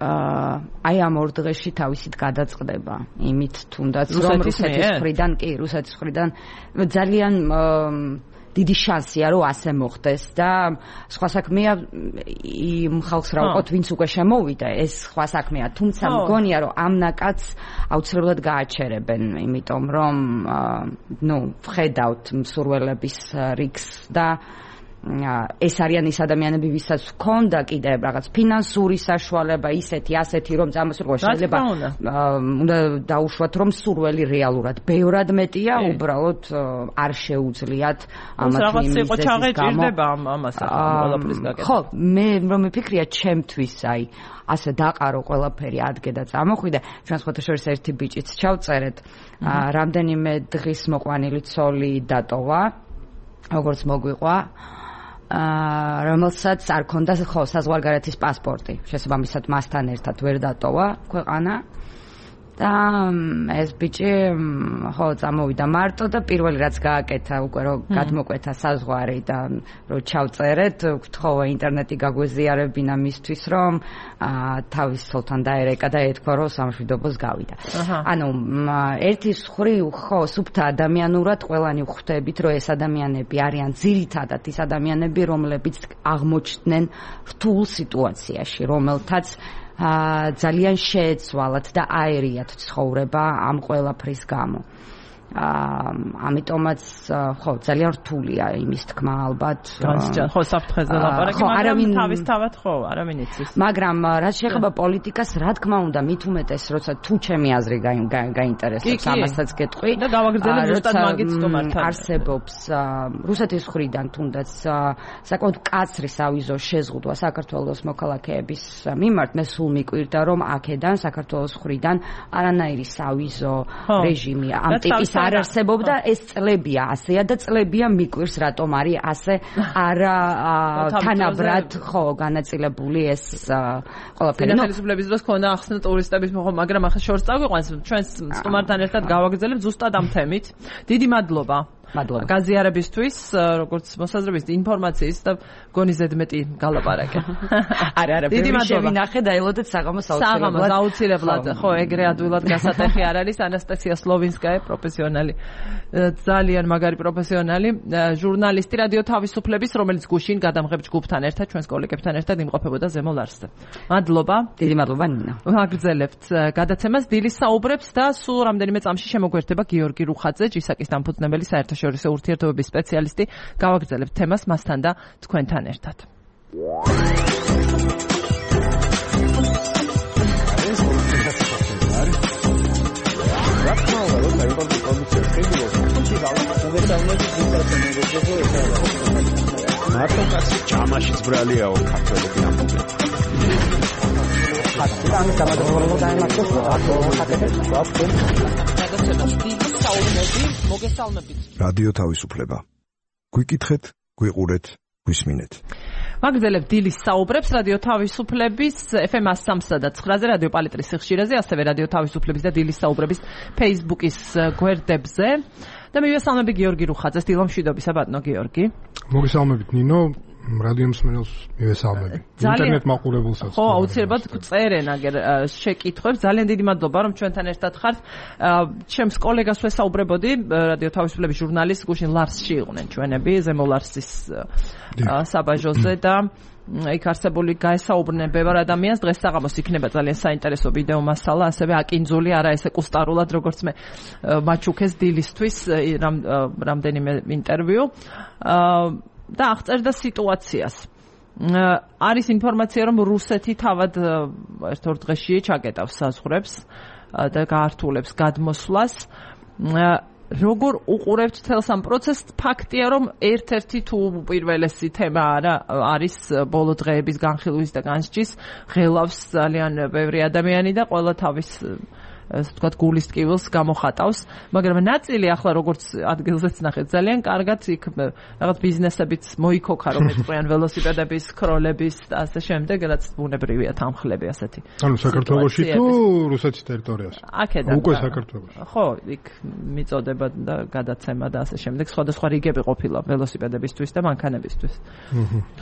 აი ამ ორ დღეში თავისით გადაწყდება იმით თუნდაც რომ რუსეთის მხრიდან კი რუსეთის მხრიდან ძალიან დიდი შანსია რომ ასე მოხდეს და სხვა საქმეა იმ ხალხს რა ვყოთ ვინც უკვე შემოვიდა ეს სხვა საქმეა თუმცა მგონია რომ ამ ნაკადს აუცილებლად გააჩერებენ იმიტომ რომ ნუ ვხედავთ მსურველების რიგს და ეს არიან ის ადამიანები ვისაც ჰქონდა კიდევ რაღაც ფინანსური საშუალება ისეთი ასეთი რომ წამოსულიყო შეიძლება უნდა დაუშვათ რომ სურველი რეალურად ბევრად მეტია უბრალოდ არ შეუძლიათ ამათ იმის ჩაღეჭირდება ამას ყველაფრის გაკეთება. ხო, მე რომ მიფიქრია ჩემთვის აი ასე დაყარო ყველაფერი ადგე და წამოხვიდა ჩვენ სხვათა შორის ერთი ბიჭიც ჩავწერეთ რამდენიმე დღის მოყვანილი ცოლი დატოვა როგორც მოგვიყვა აა რომელსაც არ ქონდა ხო საზღვარგარეთის პასპორტი შესაბამისად მასთან ერთად ვერ დატოვა ქვეყანა და ეს ბიჭი ხო წამოვიდა მარტო და პირველი რაც გააკეთა უკვე რომ გადმოკვეთა საზღვარი და რომ ჩავწერეთ გთხოვა ინტერნეტი გაგვეზიარებინა მისთვის რომ თავის ცოლთან დაერეკა და ეთქვა რომ სამშვიდობოს გავიდა. ანუ ერთის მხრივ ხო სუფთა ადამიანურად ყველანი ვხვდებით რომ ეს ადამიანები არიან ძირითადად ის ადამიანები რომლებიც აღმოჩნდნენ რთულ სიტუაციაში რომელთაც ძალიან შეეცვალათ და აერიათ ცხოვრება ამ ყველაფრის გამო. ამიტომაც ხო ძალიან რთულია იმის თქმა ალბათ. ხო საფრთხეზე ლაპარაკი, მაგრამ თავისთავად ხო არავინ იცის. მაგრამ რაც შეეხება პოლიტიკას, რა თქმა უნდა, მით უმეტეს, როცა თუ ჩემი აზრი გაინტერესებს, ამასაც გეტყვი. და გავაგრძელებ ზუსტად მაგით სტუმართან. არსებობს რუსეთის მხრიდან თუნდაც საკმაოდ მკაცრი სავიზო შეზღუდვა საქართველოს მოქალაქეების მიმართ, მე სულ მიკვირდა რომ აქედან საქართველოს მხრიდან არანაირი სავიზო რეჟიმი ამ ტიპის არ არსებობდა ეს წლებია ასეა და წლებია მიკვირს რატომ არის ასე არა თანაბრად ხო განაწილებული ეს ყველაფერი. ხელისუფლების დროს ქონდა ახსნა ტურისტების მოხდა, მაგრამ ახლა შორს წაგვიყვანს ჩვენ სტუმართან ერთად გავაგრძელებთ ზუსტად ამ თემით. დიდი მადლობა. მადლობა. გაზიარებისთვის, როგორც მოსაზრების ინფორმაციის და გონი ზედმეტი გალაპარაკე. არა, არა, დიდი მადლობა. შევინახე და ელოდეთ საღამოს აუცილებლად. საღამოს აუცილებლად, ხო, ეგრე ადვილად გასატეხი არ არის ანასტასია სლოვინსკაია, პროფესიონალი. ძალიან მაგარი პროფესიონალი, ჟურნალისტი რადიო თავისუფლების, რომელიც გუშინ გადამღებ ჯგუფთან ერთად, ჩვენს კოლეგებთან ერთად იმყოფებოდა ზემო ლარსზე. მადლობა. დიდი მადლობა ნინა. ვაგრძელებთ გადაცემას დილის საუბრებს და სულ რამდენიმე წამში შემოგვერთება გიორგი რუხაძე, ჯისაკის დამფუძნებელი საერთაშორისო შორისო ურთიერთობების სპეციალისტი. გავაგრძელებთ თემას მასთან და თქვენთან ერთად. მარტო კაცი ჭამაშიც ბრალიაო ქართველები ამბობენ. ამის გამარჯვება დაემართოს აკო ხატებს ვაფრენ. რადიო თავისუფლება. გვიკითხეთ, გვიყურეთ, გვისმინეთ. ვაგრძელებთ დილის საუბრებს რადიო თავისუფლების ეფ ემ one oh three და nine-ზე რადიო პალიტრის სიხშირეზე, ასევე რადიო თავისუფლების და დილის საუბრების Facebook-ის გვერდებზე. და მივესალმები გიორგი რუხაძეს, დილომშვიდობისა ბატონო გიორგი. მოგესალმებით ნინო. რადიო მსმენელს მივესალმები. ინტერნეტ მაყურებელსაც. ხო, აუცილებლად წერენ აგერ შეკითხვებს. ძალიან დიდი მადლობა რომ ჩვენთან ერთად ხართ. ჩემს კოლეგას ვესაუბრებოდი, რადიო თავისუფლების ჟურნალისტ გუშინ ლარსში იყვნენ ჩვენები, ზემო ლარსის საბაჟოზე და იქ არსებული გაესაუბრნენ ბევრ ადამიანს. დღეს საღამოს იქნება ძალიან საინტერესო ვიდეო მასალა, ასევე აკინძული, არა ესე კუსტარულად, როგორც მე მაჩუქეს დილისთვის რამდენიმე ინტერვიუ. და აღწერდა სიტუაციას. არის ინფორმაცია, რომ რუსეთი თავად ერთ-ორ დღეში ჩაკეტავს საზღვრებს და გაართულებს გადმოსვლას. როგორ უყურებთ თელს ამ პროცესს? ფაქტია, რომ ერთ-ერთი თუ პირველესი თემა არა არის ბოლო დღეების განხილვის და განსჯის. ღელავს ძალიან ბევრი ადამიანი და ყველა თავის ასე ვთქვათ გულის ტკივილს გამოხატავს, მაგრამ ნაწილი ახლა როგორც ადგილზეც ნახეთ ძალიან კარგად იქ რაღაც ბიზნესებიც მოიქოქა რომ ეწყვიან ველოსიპედების, ქროლების და ასე შემდეგ, რაც ბუნებრივია თანხლები ასეთი. ანუ საქართველოში თუ რუსეთის ტერიტორიაზე? აქედან. უკვე საქართველოში. ხო, იქ მიწოდება და გადაცემა და ასე შემდეგ, სხვადასხვა რიგები ყოფილა ველოსიპედებისთვის და მანქანებისთვის.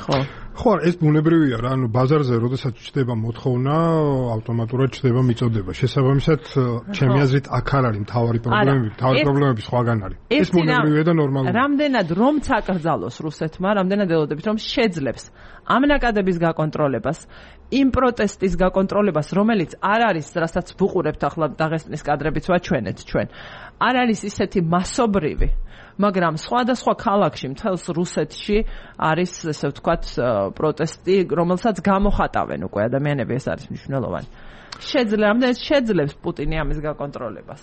ხო. ხო, ეს ბუნებრივია რა, ანუ ბაზარზე როდესაც ჩდება მოთხოვნა, ავტომატურად ჩდება მიწოდება. შესაბამისად ჩემი აზრით აქ არ არის მთავარი პრობლემები, მთავარი პრობლემები სხვაგან არის. ეს ბუნებრივია და ნორმალურია. რამდენად რომ წაკრძალოს რუსეთმა, რამდენად ელოდებით რომ შეძლებს ამ ნაკადების გაკონტროლებას, იმ პროტესტის გაკონტროლებას, რომელიც არ არის, რასაც ვუყურებთ ახლა დაღესტნის კადრებიც ვაჩვენეთ ჩვენ. არ არის ისეთი მასობრივი, მაგრამ სხვადასხვა ქალაქში, მთელს რუსეთში არის, ესე ვთქვათ, პროტესტი, რომელსაც გამოხატავენ უკვე ადამიანები, ეს არის მნიშვნელოვანი. შეძლებს შეძლებს პუტინი ამის გაკონტროლებას.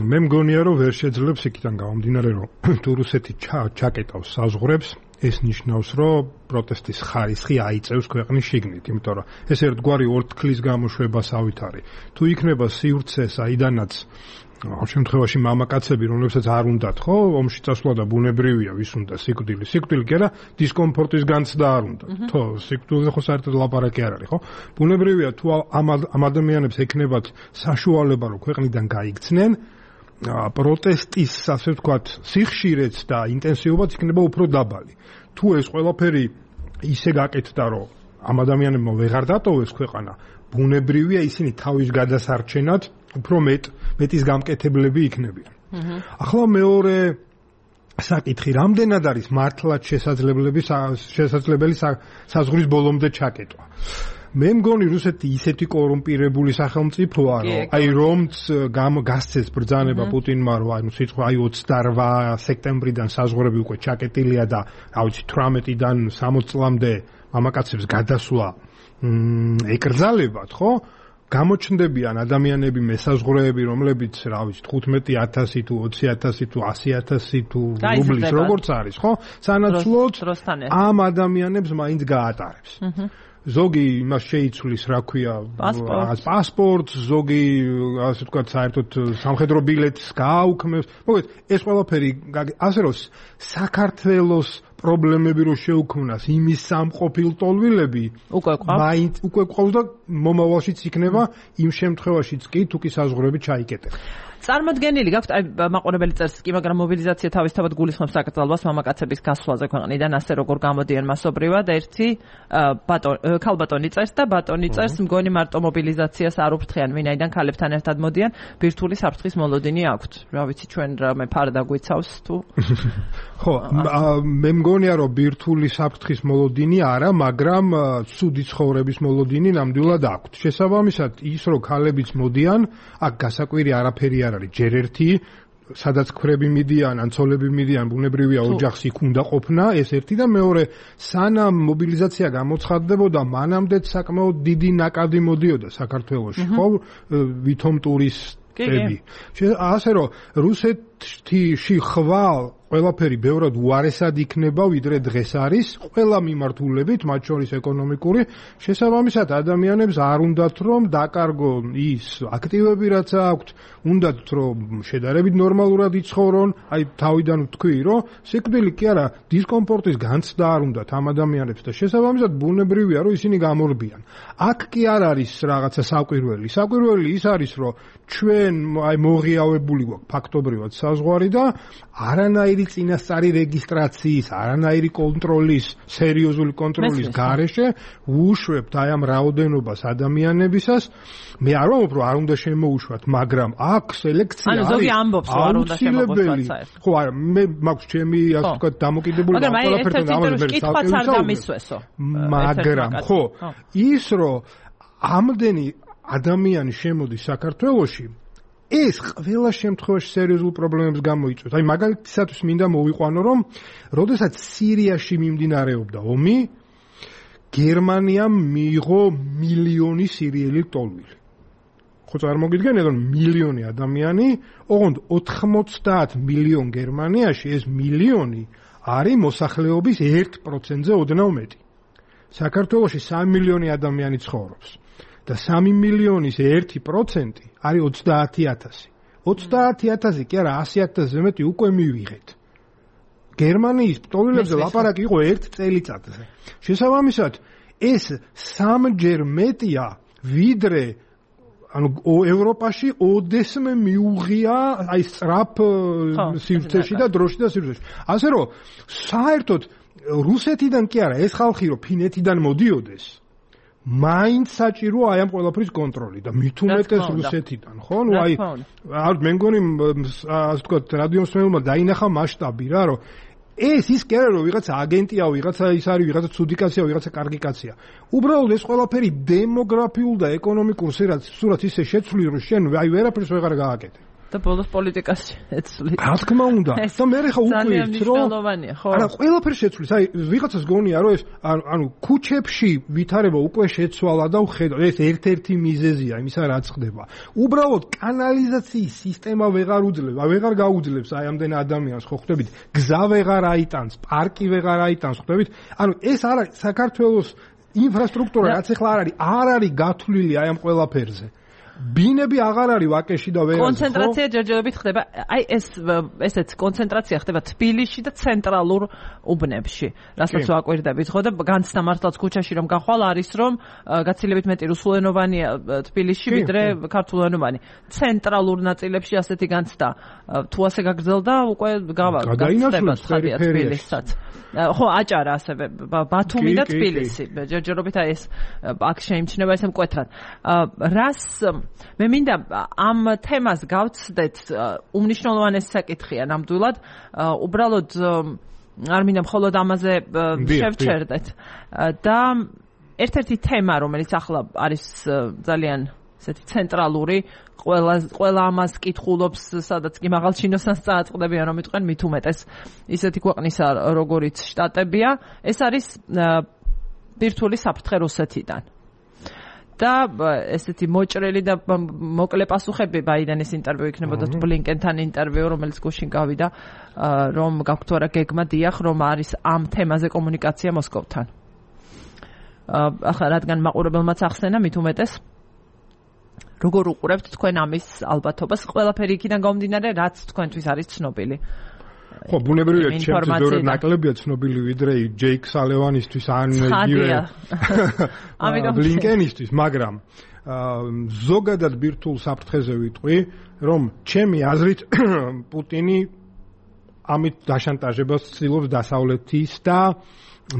მე მგონია რომ ვერ შეძლებს იქიდან გამომდინარე რომ თუ რუსეთი ჩაკეტავს საზღვრებს, ეს ნიშნავს რომ პროტესტის ხარისხი აიწევს ქვეყნის შიგნით, იმიტომ რომ ეს ერთგვარი ორთქლის გამოშვებასავით არის. თუ იქნება სივრცე, საიდანაც ამ შემთხვევაში მამაკაცები, რომლებსაც არ უნდათ, ხო, ომში წასვლა და ბუნებრივია, ვის უნდა სიკვდილი. სიკვდილი კი არა, დისკომფორტის განცდა არ უნდა. თო, სიკვდილზე ხო საერთოდ ლაპარაკი არ არის, ხო? ბუნებრივია, თუ ამ ადამიანებს ექნებათ საშუალება, რომ ქვეყნიდან გაიქცნენ, პროტესტის, ასე ვთქვათ, სიხშირეც და ინტენსივობაც იქნება უფრო დაბალი. თუ ეს ყველაფერი ისე გაკეთდა, რომ ამ ადამიანებმა ვეღარ დატოვეს ქვეყანა, ბუნებრივია ისინი თავის გადასარჩენად უფრო მეტ მეტის გამკეთებლები იქნებიან. ახლა მეორე საკითხი, რამდენად არის მართლაც შესაძლებელი შესაძლებელი საზღვრის ბოლომდე ჩაკეტვა. მე მგონი რუსეთი ისეთი კორუმპირებული სახელმწიფოა, რომ აი რომც გასცეს ბრძანება პუტინმა, რომ აი სიტყვა აი ოცდაორ სექტემბრიდან საზღვრები უკვე ჩაკეტილია და რა ვიცი თვრამეტიდან სამოც წლამდე მამაკაცებს გადასვლა ეკრძალებათ, ხო? გამოჩნდებიან ადამიანები მესაზღვრეები, რომლებიც, რა ვიცი, თხუთმეტი ათასი თუ ოცი ათასი თუ ასი ათასი თუ რუბლის როგორც არის, ხო? სანაცვლოდ ამ ადამიანებს მაინც გაატარებს. ზოგი იმას შეიცვლის, რა ქვია, პასპორტს, ზოგი, ასე ვთქვათ, საერთოდ სამხედრო ბილეთს გააუქმებს. მოგეთ, ეს ყველაფერი, ასე რომ საქართველოს პრობლემები რო შეუქმნას იმის სამყოფილტოლვილები უკვე ყავს მაინც უკვე ყავს და მომავალშიც იქნება იმ შემთხვევაშიც კი თუ კი საზღვრები ჩაიკეტება. წარმოდგენილი გაქვთ აი მაყურებელი წერს კი, მაგრამ მობილიზაცია თავისთავად გულისხმობს საკრძალვას მამაკაცების გასვლაზე ქვეყნიდან, ასე როგორ გამოდიან მასობრივად. ერთი ბატონი ქალბატონი წერს და ბატონი წერს, მგონი მარტო მობილიზაციას არ უფრთხიან, ვინაიდან ქალებთან ერთად მოდიან, ბირთვული საფრთხის მოლოდინი აქვთ. რა ვიცი, ჩვენ რამე ფარდა გვიცავს თუ ხო, მე მგონია რომ ბირთვული საფრთხის მოლოდინი არა, მაგრამ ცუდი ცხოვრების მოლოდინი ნამდვილად აქვთ. შესაბამისად, ის რომ ქალებიც მოდიან, აქ გასაკვირი არაფერი არ არის. ჯერ ერთი, სადაც ქვრები მიდიან, ან ცოლები მიდიან, ბუნებრივია ოჯახს იქ უნდა ყოფნა, ეს ერთი და მეორე, სანამ მობილიზაცია გამოცხადდებოდა, მანამდეც საკმაოდ დიდი ნაკადი მოდიოდა საქართველოში, ხო? ვითომ ტურისტები. ასე რომ რუსეთში ხვალ ყველაფერი ბევრად უარესად იქნება, ვიდრე დღეს არის, ყველა მიმართულებით, მათ შორის ეკონომიკური, შესაბამისად ადამიანებს არ უნდათ რომ დაკარგო ის აქტივები, რაც აქვთ, უნდათ რომ შედარებით ნორმალურად იცხოვრონ, აი თავიდან ვთქვი, რომ სიკვდილი კი არა, დისკომფორტის განცდა არ უნდათ ამ ადამიანებს და შესაბამისად ბუნებრივია, რომ ისინი გამორბიან. აქ კი არ არის რაღაცა საკვირველი. საკვირველი ის არის, რომ ჩვენ აი მოღიავებული გვაქვს ფაქტობრივად საზღვარი და არანაირი წინასწარი რეგისტრაციის, არანაირი კონტროლის, სერიოზული კონტროლის გარეშე ვუშვებთ აი ამ რაოდენობას ადამიანებისას. მე არ ვამბობ, რომ არ უნდა შემოუშვათ, მაგრამ აქ სელექცია არის. ანუ ზოგი ამბობს, რომ არ უნდა შემოგვიშვათ საერთოდ. ხო, არა, მე მაქვს ჩემი, ასე ვთქვათ, დამოკიდებული ყველაფერთან ამბობს, კითხვაც არ დამისვესო. მაგრამ ხო, ის რომ ამდენი ადამიანი შემოდის საქართველოში, ეს ყველა შემთხვევაში სერიოზულ პრობლემებს გამოიწვევს. აი მაგალითისათვის მინდა მოვიყვანო, რომ როდესაც სირიაში მიმდინარეობდა ომი, გერმანიამ მიიღო მილიონი სირიელი ტოლვილი. ხო წარმოგიდგენთ, რომ მილიონი ადამიანი, ოღონდ ოთხმოცდაათ მილიონ გერმანიაში ეს მილიონი არის მოსახლეობის ერთ პროცენტზე ოდნავ მეტი. საქართველოში სამი მილიონი ადამიანი ცხოვრობს. და სამი მილიონის ერთი პროცენტი არის ოცდაათი ათასი. ოცდაათი ათასი კი არა, ასი ათასზე მეტი უკვე მივიღეთ. გერმანიის ტოლვილებზე ლაპარაკი იყო ერთ წელიწადზე. შესაბამისად, ეს სამჯერ მეტია, ვიდრე ანუ ევროპაში ოდესმე მიუღია აი სწრაფ სივრცეში და დროში და სივრცეში. ასე რომ, საერთოდ რუსეთიდან კი არა, ეს ხალხი რომ ფინეთიდან მოდიოდეს, მაინც საჭიროა აი ამ ყველაფრის კონტროლი და მით უმეტეს რუსეთიდან, ხო? ნუ აი არ მე მგონი ასე ვთქვათ, რადიომსმენელმა დაინახა მასშტაბი რა, რომ ეს ის კი არა რომ ვიღაცა აგენტია, ვიღაცა ის არის, ვიღაცა ცუდი კაცია, ვიღაცა კარგი კაცია. უბრალოდ ეს ყველაფერი დემოგრაფიულ და ეკონომიკურ სურათს ისე შეცვლი, რომ შენ აი ვერაფერს ვეღარ გააკეთე. და ბოლოს პოლიტიკას შეცვლი. რა თქმა უნდა. და მე ხა უკვირთ, რომ არა, ყველაფერს შეცვლის. აი ვიღაცას გონია, რომ ეს ანუ ქუჩებში ვითარება უკვე შეცვალა და ვხედავ, ეს ერთ-ერთი მიზეზია იმისა, რაც ხდება. უბრალოდ კანალიზაციის სისტემა ვეღარ უძლებს, ვეღარ გაუძლებს აი ამდენ ადამიანს, ხო ხვდებით? გზა ვეღარ აიტანს, პარკი ვეღარ აიტანს, ხვდებით? ანუ ეს არა საქართველოს ინფრასტრუქტურა, რაც ახლა არ არის, არ არის გათვლილი აი ამ ყველაფერზე. ბინები აღარ არის ვაკეში და ვერაზე. კონცენტრაცია ჯერჯერობით ხდება. აი ეს ესეც კონცენტრაცია ხდება თბილისში და ცენტრალურ უბნებში. რასაც ვაკვირდებით, ხო და განცდა მართლაც ქუჩაში რომ გახვალ არის რომ გაცილებით მეტი რუსულენოვანია თბილისში ვიდრე ქართულენოვანი. ცენტრალურ ნაწილებში ასეთი განცდა თუ ასე გაგრძელდა უკვე გავაგრძელდა თბილისსაც. ხო აჭარა ასევე ბათუმი და თბილისი ჯერჯერობით აი ეს აქ შეიმჩნევა ესე მკვეთრად. რას მე მინდა ამ თემას გავცდეთ უმნიშვნელოვანესი საკითხია ნამდვილად უბრალოდ არ მინდა მხოლოდ ამაზე შევჩერდეთ და ერთ-ერთი თემა რომელიც ახლა არის ძალიან ესეთი ცენტრალური ყველა ყველა ამას კითხულობს სადაც კი მაღალჩინოსანს წააწყდებიან რომ იტყვენ მით უმეტეს ისეთი ქვეყნისა როგორიც შტატებია ეს არის ბირთვული საფრთხე რუსეთიდან და ესეთი მოჭრელი და მოკლე პასუხები ბაიდენის ინტერვიუ იქნებოდა ბლინკენთან ინტერვიუ რომელიც გუშინ გავიდა რომ გაქვთ თუ არა გეგმა დიახ რომ არის ამ თემაზე კომუნიკაცია მოსკოვთან ახლა რადგან მაყურებელმაც ახსენა მით უმეტეს როგორ უყურებთ თქვენ ამის ალბათობას ყველაფერი იქიდან გამომდინარე რაც თქვენთვის არის ცნობილი ხო ბუნებრივია ჩემთვის ბევრად ნაკლებია ცნობილი ვიდრე ჯეიკ სალევანისთვის ან იგივე ბლინკენისთვის მაგრამ ზოგადად ბირთვულ საფრთხეზე ვიტყვი რომ ჩემი აზრით პუტინი ამით დაშანტაჟებას ცდილობს დასავლეთის და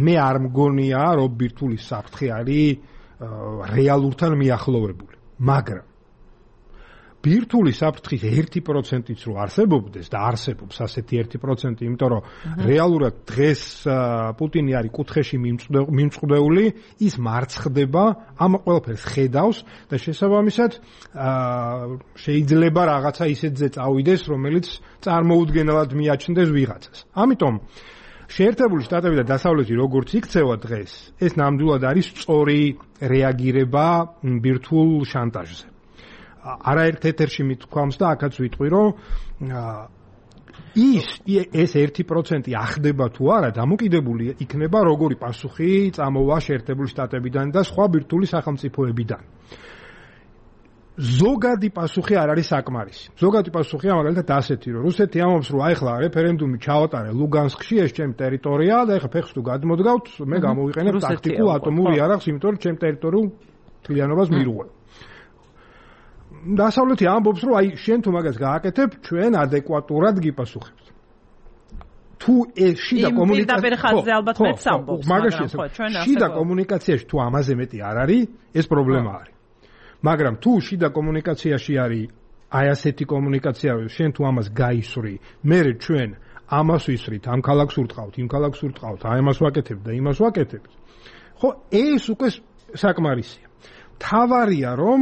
მე არ მგონია რომ ბირთვული საფრთხე არის რეალურთან მიახლოვებული მაგრამ ბირთვული საფრთხის ერთი პროცენტიც რო არსებობდეს და არსებობს ასეთი ერთი პროცენტი, იმიტომ რომ რეალურად დღეს პუტინი არის კუთხეში მიმწყდეული, ის მარცხდება, ამ ყველაფერს ხედავს და შესაბამისად შეიძლება რაღაცა ისეთზე წავიდეს, რომელიც წარმოუდგენელად მიაჩნდეს ვიღაცას. ამიტომ შეერთებული შტატები და დასავლეთი როგორც იქცევა დღეს, ეს ნამდვილად არის სწორი რეაგირება ბირთვულ შანტაჟზე. არაერთ ეთერში მithქვამს და აქაც ვიტყვი რომ ის ეს ერთი პროცენტი ახდება თუ არა დამოკიდებული იქნება როგორი პასუხი წამოვა შეერთებული შტატებიდან და სხვა ბირთვული სახელმწიფოებიდან. ზოგადი პასუხი არ არის საკმარისი. ზოგადი პასუხია მაგალითად ასეთი რომ რუსეთი ამობს რომ აი ხლა რეფერენდუმი ჩაატარე ლუგანსკში ეს ჩემი ტერიტორიაა და ეხლა ფეხს თუ გადმოდგავთ მე გამოვიყენებ ტაქტიკულ ატომურ იარაღს იმიტომ რომ ჩემ ტერიტორიულ თლიანობას მირუღებ. დასავლეთი ამბობს რომ აი შენ თუ მაგას გააკეთებ ჩვენ ადეკვატურად გიპასუხებთ. თუ ეს შიდა კომუნიკაცია ალბათ მეც ამბობს მაგრამ შიდა კომუნიკაციაში თუ ამაზე მეტი არ არის ეს პრობლემა არის. მაგრამ თუ შიდა კომუნიკაციაში არის აი ასეთი კომუნიკაცია შენ თუ ამას გაისვრი მე ჩვენ ამას ვისვრით ამ ქალაქს ურტყავთ იმ ქალაქს ურტყავთ აი ამას ვაკეთებთ და იმას ვაკეთებთ ხო ეს უკვე საკმარისია. თავარია რომ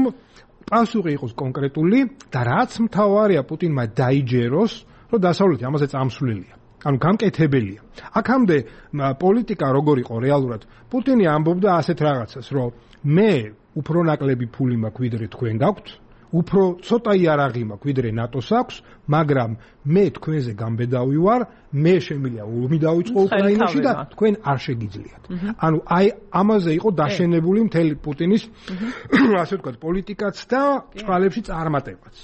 პასუხი იყოს კონკრეტული და რაც მთავარია პუტინმა დაიჯეროს რომ დასავლეთი ამაზე წამსვლელია ანუ გამკეთებელია. აქამდე პოლიტიკა როგორ იყო რეალურად პუტინი ამბობდა ასეთ რაღაცას რომ მე უფრო ნაკლები ფული მაქვს ვიდრე თქვენ გაქვთ უფრო ცოტა იარაღი მაქვს ვიდრე ნატოს აქვს მაგრამ მე თქვენზე გამბედავი ვარ მე შემიძლია ომი დავიწყო უკრაინაში და თქვენ არ შეგიძლიათ. ანუ აი ამაზე იყო დაშენებული მთელი პუტინის ასე ვთქვათ პოლიტიკაც და წყალებში წარმატებაც.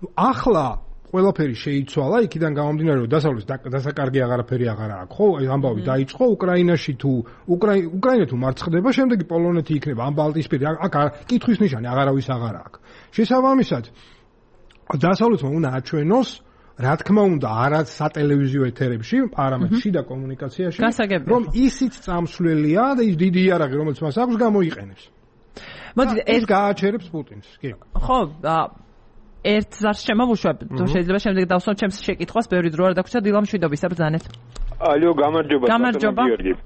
ნუ ახლა ყველაფერი შეიცვალა იქიდან გამომდინარე რომ დასავლეთის დასაკარგი აღარაფერი აღარა აქვს ხო ამბავი დაიწყო უკრაინაში თუ უკრაინა თუ მარცხდება შემდეგი პოლონეთი იქნება ამ ბალტიისპირა აქ კითხვის ნიშანი აღარავის აღარა აქვს. შესაბამისად დასავლეთმა უნდა აჩვენოს რა თქმა უნდა არაც სატელევიზიო ეთერებში არამედ შიდა კომუნიკაციაში რომ ისიც წამსვლელია და ის დიდი იარაღი რომელიც მას აქვს გამოიყენებს. მოდი ეს გააჩერებს პუტინს კი ხო ერთ ზარს შემოვუშვებ, თუ შეიძლება შემდეგ დავსვამ ჩემს შეკითხვას, ბევრი დრო არ დაგვრჩა დილამშვიდობის აბრძანეთ. ალო, გამარჯობა. გამარჯობა.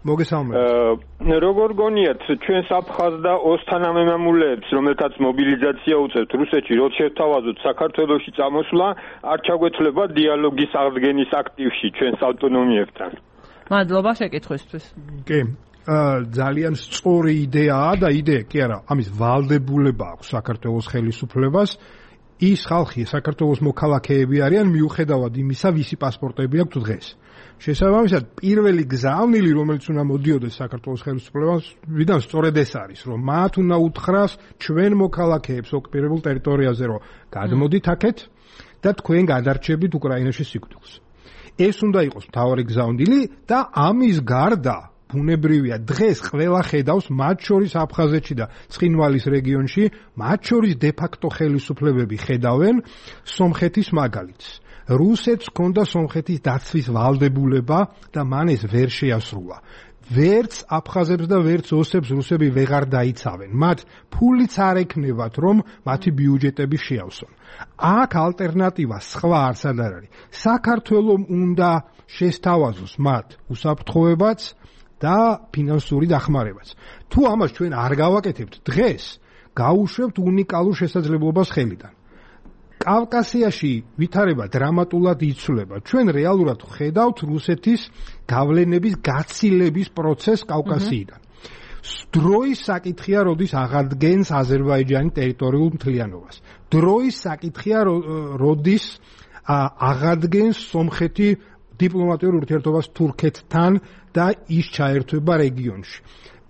მოგესალმებით. როგორ გონიათ ჩვენ საფხაზ და ოსთან ამემამულეებს, რომელთაც მობილიზაცია უწევთ რუსეთში, რო შევთავაზოთ საქართველოში წამოსვლა, არ ჩაგვეთვლება დიალოგის აღდგენის აქტივში ჩვენს ავტონომიებთან. მადლობა შეკითხვისთვის. კი. ძალიან სწორი იდეაა და იდეა კი არა, ამის ვალდებულება აქვს საქართველოს ხელისუფლებას. ის ხალხი საქართველოს მოქალაქეები არიან მიუხედავად იმისა, ვისი პასპორტები აქვთ დღეს. შესაბამისად, პირველი გზავნილი, რომელიც უნდა მოდიოდეს საქართველოს ხელისუფლებასთან, სწორედ ეს არის, რომ მათ უნდა უთხრას ჩვენ მოქალაქეებს ოკუპირებულ ტერიტორიაზე, რომ გადმოდით აქეთ და თქვენ გადარჩებით უკრაინაში სიკვდილს. ეს უნდა იყოს მთავარი გზავნილი და ამის გარდა ბუნებრივია დღეს ყველა ხედავს მათ შორის აფხაზეთში და ცხინვალის რეგიონში, მათ შორის დე-ფაქტო ხელისუფლებები ხედავენ სომხეთის მაგალითს. რუსეთს ჰქონდა სომხეთის დაცვის ვალდებულება და მან ეს ვერ შეასრულა. ვერც აფხაზებს და ვერც ოსებს რუსები ვეღარ დაიცავენ. მათ ფულიც არ ექნებათ, რომ მათი ბიუჯეტები შეავსონ. აქ ალტერნატივა სხვა არსად არ არის. საქართველოს უნდა შესთავაზოს მათ უსაფრთხოებაც და ფინანსური დახმარებაც. თუ ამას ჩვენ არ გავაკეთებთ დღეს, გაუშვებთ უნიკალურ შესაძლებლობას ხელიდან. კავკასიაში ვითარება დრამატულად იცვლება. ჩვენ რეალურად ხედავთ რუსეთის გავლენების გაცილების პროცესს კავკასიიდან. დროის საკითხია, როდის აღადგენს აზერბაიჯანი ტერიტორიულ მთლიანობას. დროის საკითხია, როდის აღადგენს სომხეთი დიპლომატიურ ურთიერთობას თურქეთთან და ის ჩაერთვება რეგიონში.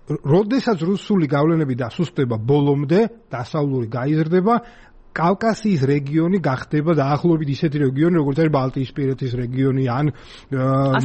როდესაც რუსული გავლენები დასუსტდება ბოლომდე, დასავლური გაიზრდება, კავკასიის რეგიონი გახდება დაახლოებით ისეთი რეგიონი, როგორც არის ბალტიისპირეთის რეგიონი ან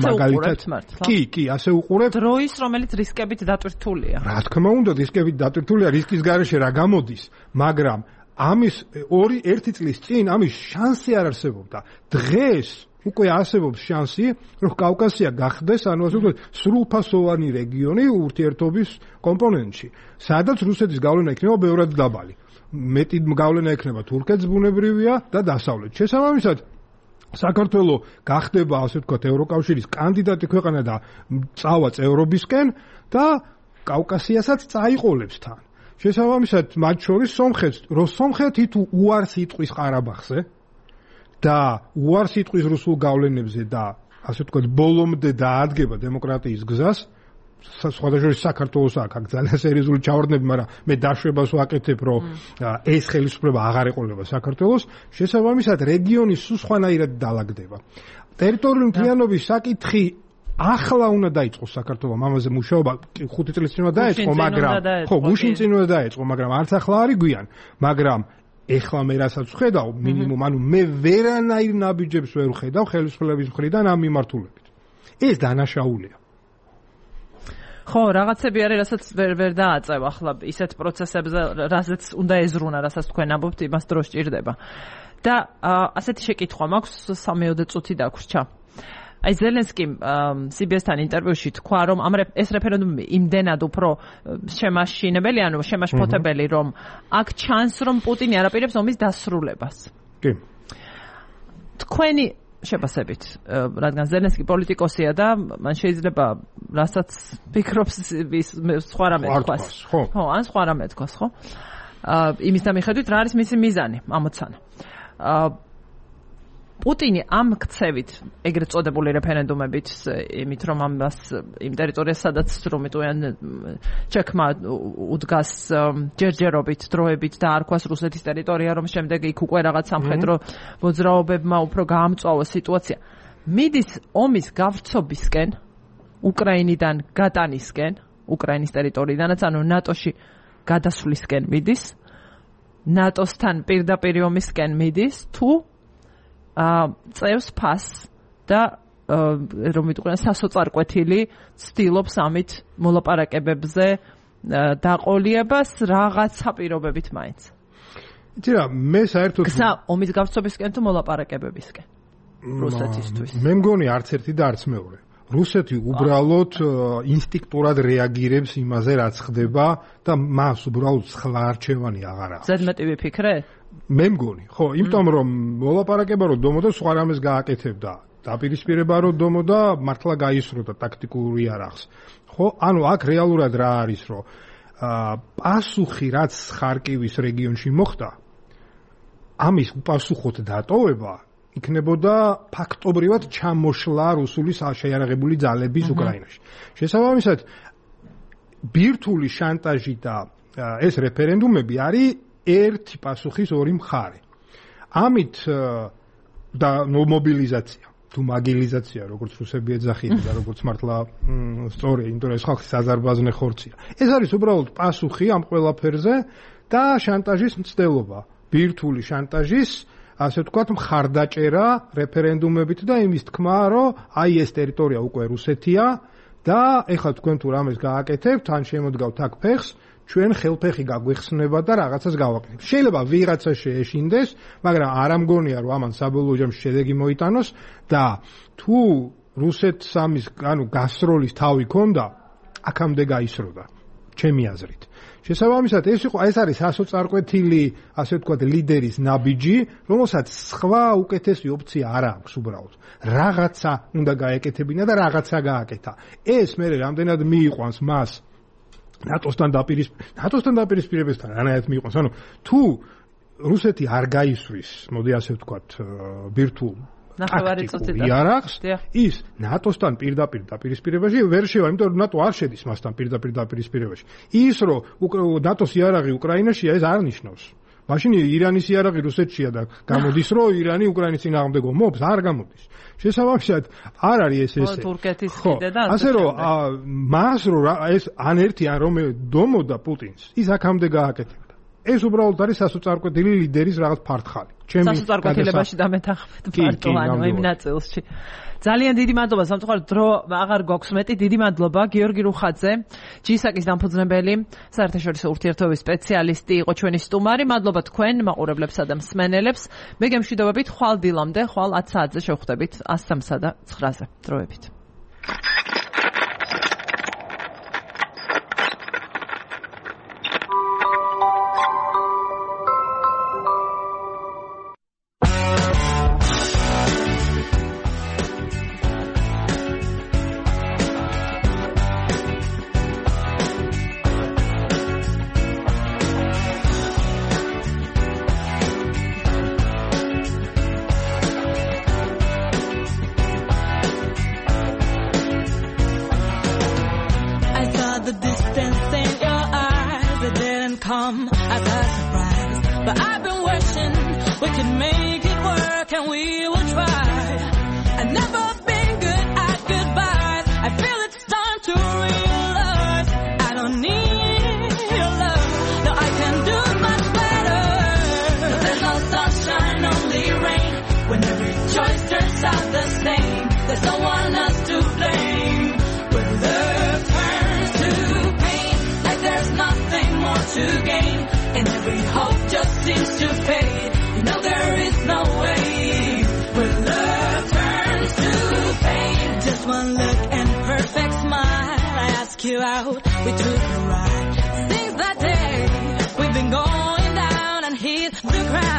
მაგალითად. კი, კი, ასე უყურებთ. დროის, რომელიც რისკებით დატვირთულია. რა თქმა უნდა, რისკებით დატვირთულია, რისკის გარეშე რა გამოდის, მაგრამ ამის ორი ერთი წლის წინ ამის შანსი არ არსებობდა. დღეს უკვე არსებობს შანსი, რომ კავკასია გახდეს, ანუ ასე ვთქვათ, სრულფასოვანი რეგიონი ურთიერთობის კომპონენტში, სადაც რუსეთის გავლენა იქნება ბევრად დაბალი. მეტი გავლენა ექნება თურქეთს ბუნებრივია და დასავლეთ. შესაბამისად, საქართველოს გახდება, ასე ვთქვათ, ევროკავშირის კანდიდატი ქვეყანა და წავა წევრობისკენ და კავკასიასაც წაიყოლებს თან. შესაბამისად, მათ შორის სომხეთს, რომ სომხეთი თუ უარს იტყვის ყარაბაღზე და უარს იტყვის რუსულ გავლენებზე და ასე ვთქვათ, ბოლომდე დაადგება დემოკრატიის გზას, სხვადასხვა საქართველოს აქ ძალიან სერიოზული ჩავარდნები, მაგრამ მე დაშვებას ვაკეთებ, რომ ეს ხელისუფლება აღარ ეყოლება საქართველოს, შესაბამისად რეგიონის სულ სხვანაირად დაალაგდება. ტერიტორიული მთლიანობის საკითხი ახლა უნდა დაიწყოს საქართველოს, ამაზე მუშაობა ხუთი წლის წინ უნდა დაიწყო, მაგრამ ხო, გუშინ წინ უნდა დაიწყო, მაგრამ არც ახლა არის გვიან, მაგრამ ეხლა მე რასაც ვხედავ, მინიმუმ, ანუ მე ვერანაირ ნაბიჯებს ვერ ვხედავ ხელისუფლების მხრიდან ამ მიმართულებით. ეს დანაშაულია. ხო, რაღაცები არის, რასაც ვერ ვერ დააწევ ახლა ისეთ პროცესებზე, რასაც უნდა ეზრუნა, რასაც თქვენ ამბობთ, იმას დრო სჭირდება. და ასეთი შეკითხვა მაქვს, სამეოდე წუთი დაგვრჩა. აი ზელენსკიმ სი ბი ეს-თან ინტერვიუში თქვა, რომ ამ ეს რეფერენდუმი იმდენად უფრო შემაშინებელი, ანუ შემაშფოთებელი, რომ აქ ჩანს, რომ პუტინი არ აპირებს ომის დასრულებას. კი. თქვენი შეფასებით, რადგან ზელენსკი პოლიტიკოსია და მან შეიძლება რასაც ფიქრობს სხვა რამე თქვას. ხო, ან სხვა რამე თქვას, ხო? იმის და მიხედვით რა არის მისი მიზანი, ამოცანა. პუტინი ამ ქცევით, ეგრეთ წოდებული რეფერენდუმებით, იმით რომ ამას იმ ტერიტორიას, სადაც რომიტყვიან ჩექმა უდგას ჯერჯერობით, დროებით და არქვას რუსეთის ტერიტორია, რომ შემდეგ იქ უკვე რაღაც სამხედრო მოძრაობებმა უფრო გაამწვავა სიტუაცია. მიდის ომის გავრცობისკენ, უკრაინიდან გატანისკენ, უკრაინის ტერიტორიიდანაც, ანუ ნატოში გადასვლისკენ მიდის, ნატოსთან პირდაპირ ომისკენ მიდის, თუ წევს ფასს და რომ ვიტყვიან სასოწარკვეთილი ცდილობს ამით მოლაპარაკებებზე დაყოლიებას რაღაცა პირობებით მაინც. იცი რა, მე საერთოდ გზა ომის გავრცობისკენ თუ მოლაპარაკებებისკენ რუსეთისთვის. მე მგონი არც ერთი და არც მეორე. რუსეთი უბრალოდ ინსტინქტურად რეაგირებს იმაზე, რაც ხდება და მას უბრალოდ სხვა არჩევანი აღარ აქვს. ზედმეტი ვიფიქრე? მე მგონი, ხო, იმიტომ რომ მოლაპარაკება რომ დომოდა სხვა რამეს გააკეთებდა. დაპირისპირება რომ დომოდა მართლა გაისროდა ტაქტიკური არახს. ხო, ანუ აქ რეალურად რა არის, რომ პასუხი რაც ხარკივის რეგიონში მოხდა, ამის უპასუხოდ დატოვება იქნებოდა ფაქტობრივად ჩამოშლა რუსული შეიარაღებული ძალების უკრაინაში. შესაბამისად, ბირთვული შანტაჟი და ეს რეფერენდუმები არის ერთი პასუხის ორი მხარე. ამით და მობილიზაცია. თუ მაგილიზაცია, როგორც რუსები ეძახიან და როგორც მართლა სწორია, იმიტომ რომ ეს ხალხი საზარბაზნე ხორცია. ეს არის უბრალოდ პასუხი ამ ყველაფერზე და შანტაჟის მცდელობა, ბირთვული შანტაჟის, ასე ვთქვათ, მხარდაჭერა რეფერენდუმებით და იმის თქმა, რომ აი ეს ტერიტორია უკვე რუსეთია და ეხლა თქვენ თუ რამეს გააკეთებთ, ან შემოდგავთ აქ ფეხს, ჩვენ ხელფეხი გაგვიხსნება და რაღაცას გავაკეთებთ. შეიძლება ვიღაცა შეეშინდეს, მაგრამ არ ამგონია რომ ამან საბოლოო ჯამში შედეგი მოიტანოს და თუ რუსეთს ამის, ანუ გასროლის თავი ქონდა, აქამდე გაისროდა, ჩემი აზრით. შესაბამისად, ეს იყო, ეს არის ასოწარკვეთილი, ასე ვთქვათ, ლიდერის ნაბიჯი, რომელსაც სხვა უკეთესი ოპცია არ აქვს უბრალოდ. რაღაცა უნდა გაეკეთებინა და რაღაცა გააკეთა. ეს მე რამდენად მიიყვანს მას ნატოსთან დაპირისპირებას, ნატოსთან დაპირისპირებასთან რანაირად მიიყვანს, ანუ თუ რუსეთი არ გაისვრის, მოდი ასე ვთქვათ, ბირთვულ იარაღს, ის ნატოსთან პირდაპირ დაპირისპირებაში ვერ შევა, იმიტომ რომ ნატო არ შედის მასთან პირდაპირ დაპირისპირებაში. ის რომ ნატოს იარაღი უკრაინაშია, ეს არ ნიშნავს. მაშინ ირანის იარაღი რუსეთშია და გამოდის, რომ ირანი უკრაინის წინააღმდეგო მობს, არ გამოდის. შესაბამისად, არ არის ეს ესე. თურქეთის კიდე და ასე რომ მას რომ ეს ან ერთი ან რომელი დომოდა პუტინს, ის აქამდე გააკეთებდა. ეს უბრალოდ არის სასოწარკვეთილი ლიდერის რაღაც ფართხალი. ჩემი სასოწარკვეთილებაში დამეთანხმეთ ფარტო ანუ იმ ნაწილში. ძალიან დიდი მადლობა, სამწუხაროდ დრო აღარ გვაქვს მეტი. დიდი მადლობა გიორგი რუხაძე, ჯისაკის დამფუძნებელი, საერთაშორისო ურთიერთობების სპეციალისტი იყო ჩვენი სტუმარი. მადლობა თქვენ მაყურებლებსა და მსმენელებს. მე გემშვიდობებით ხვალ დილამდე, ხვალ ათ საათზე შევხვდებით ას სამსა და ცხრაზე. დროებით. Since that day, we've been going down and hit the ground.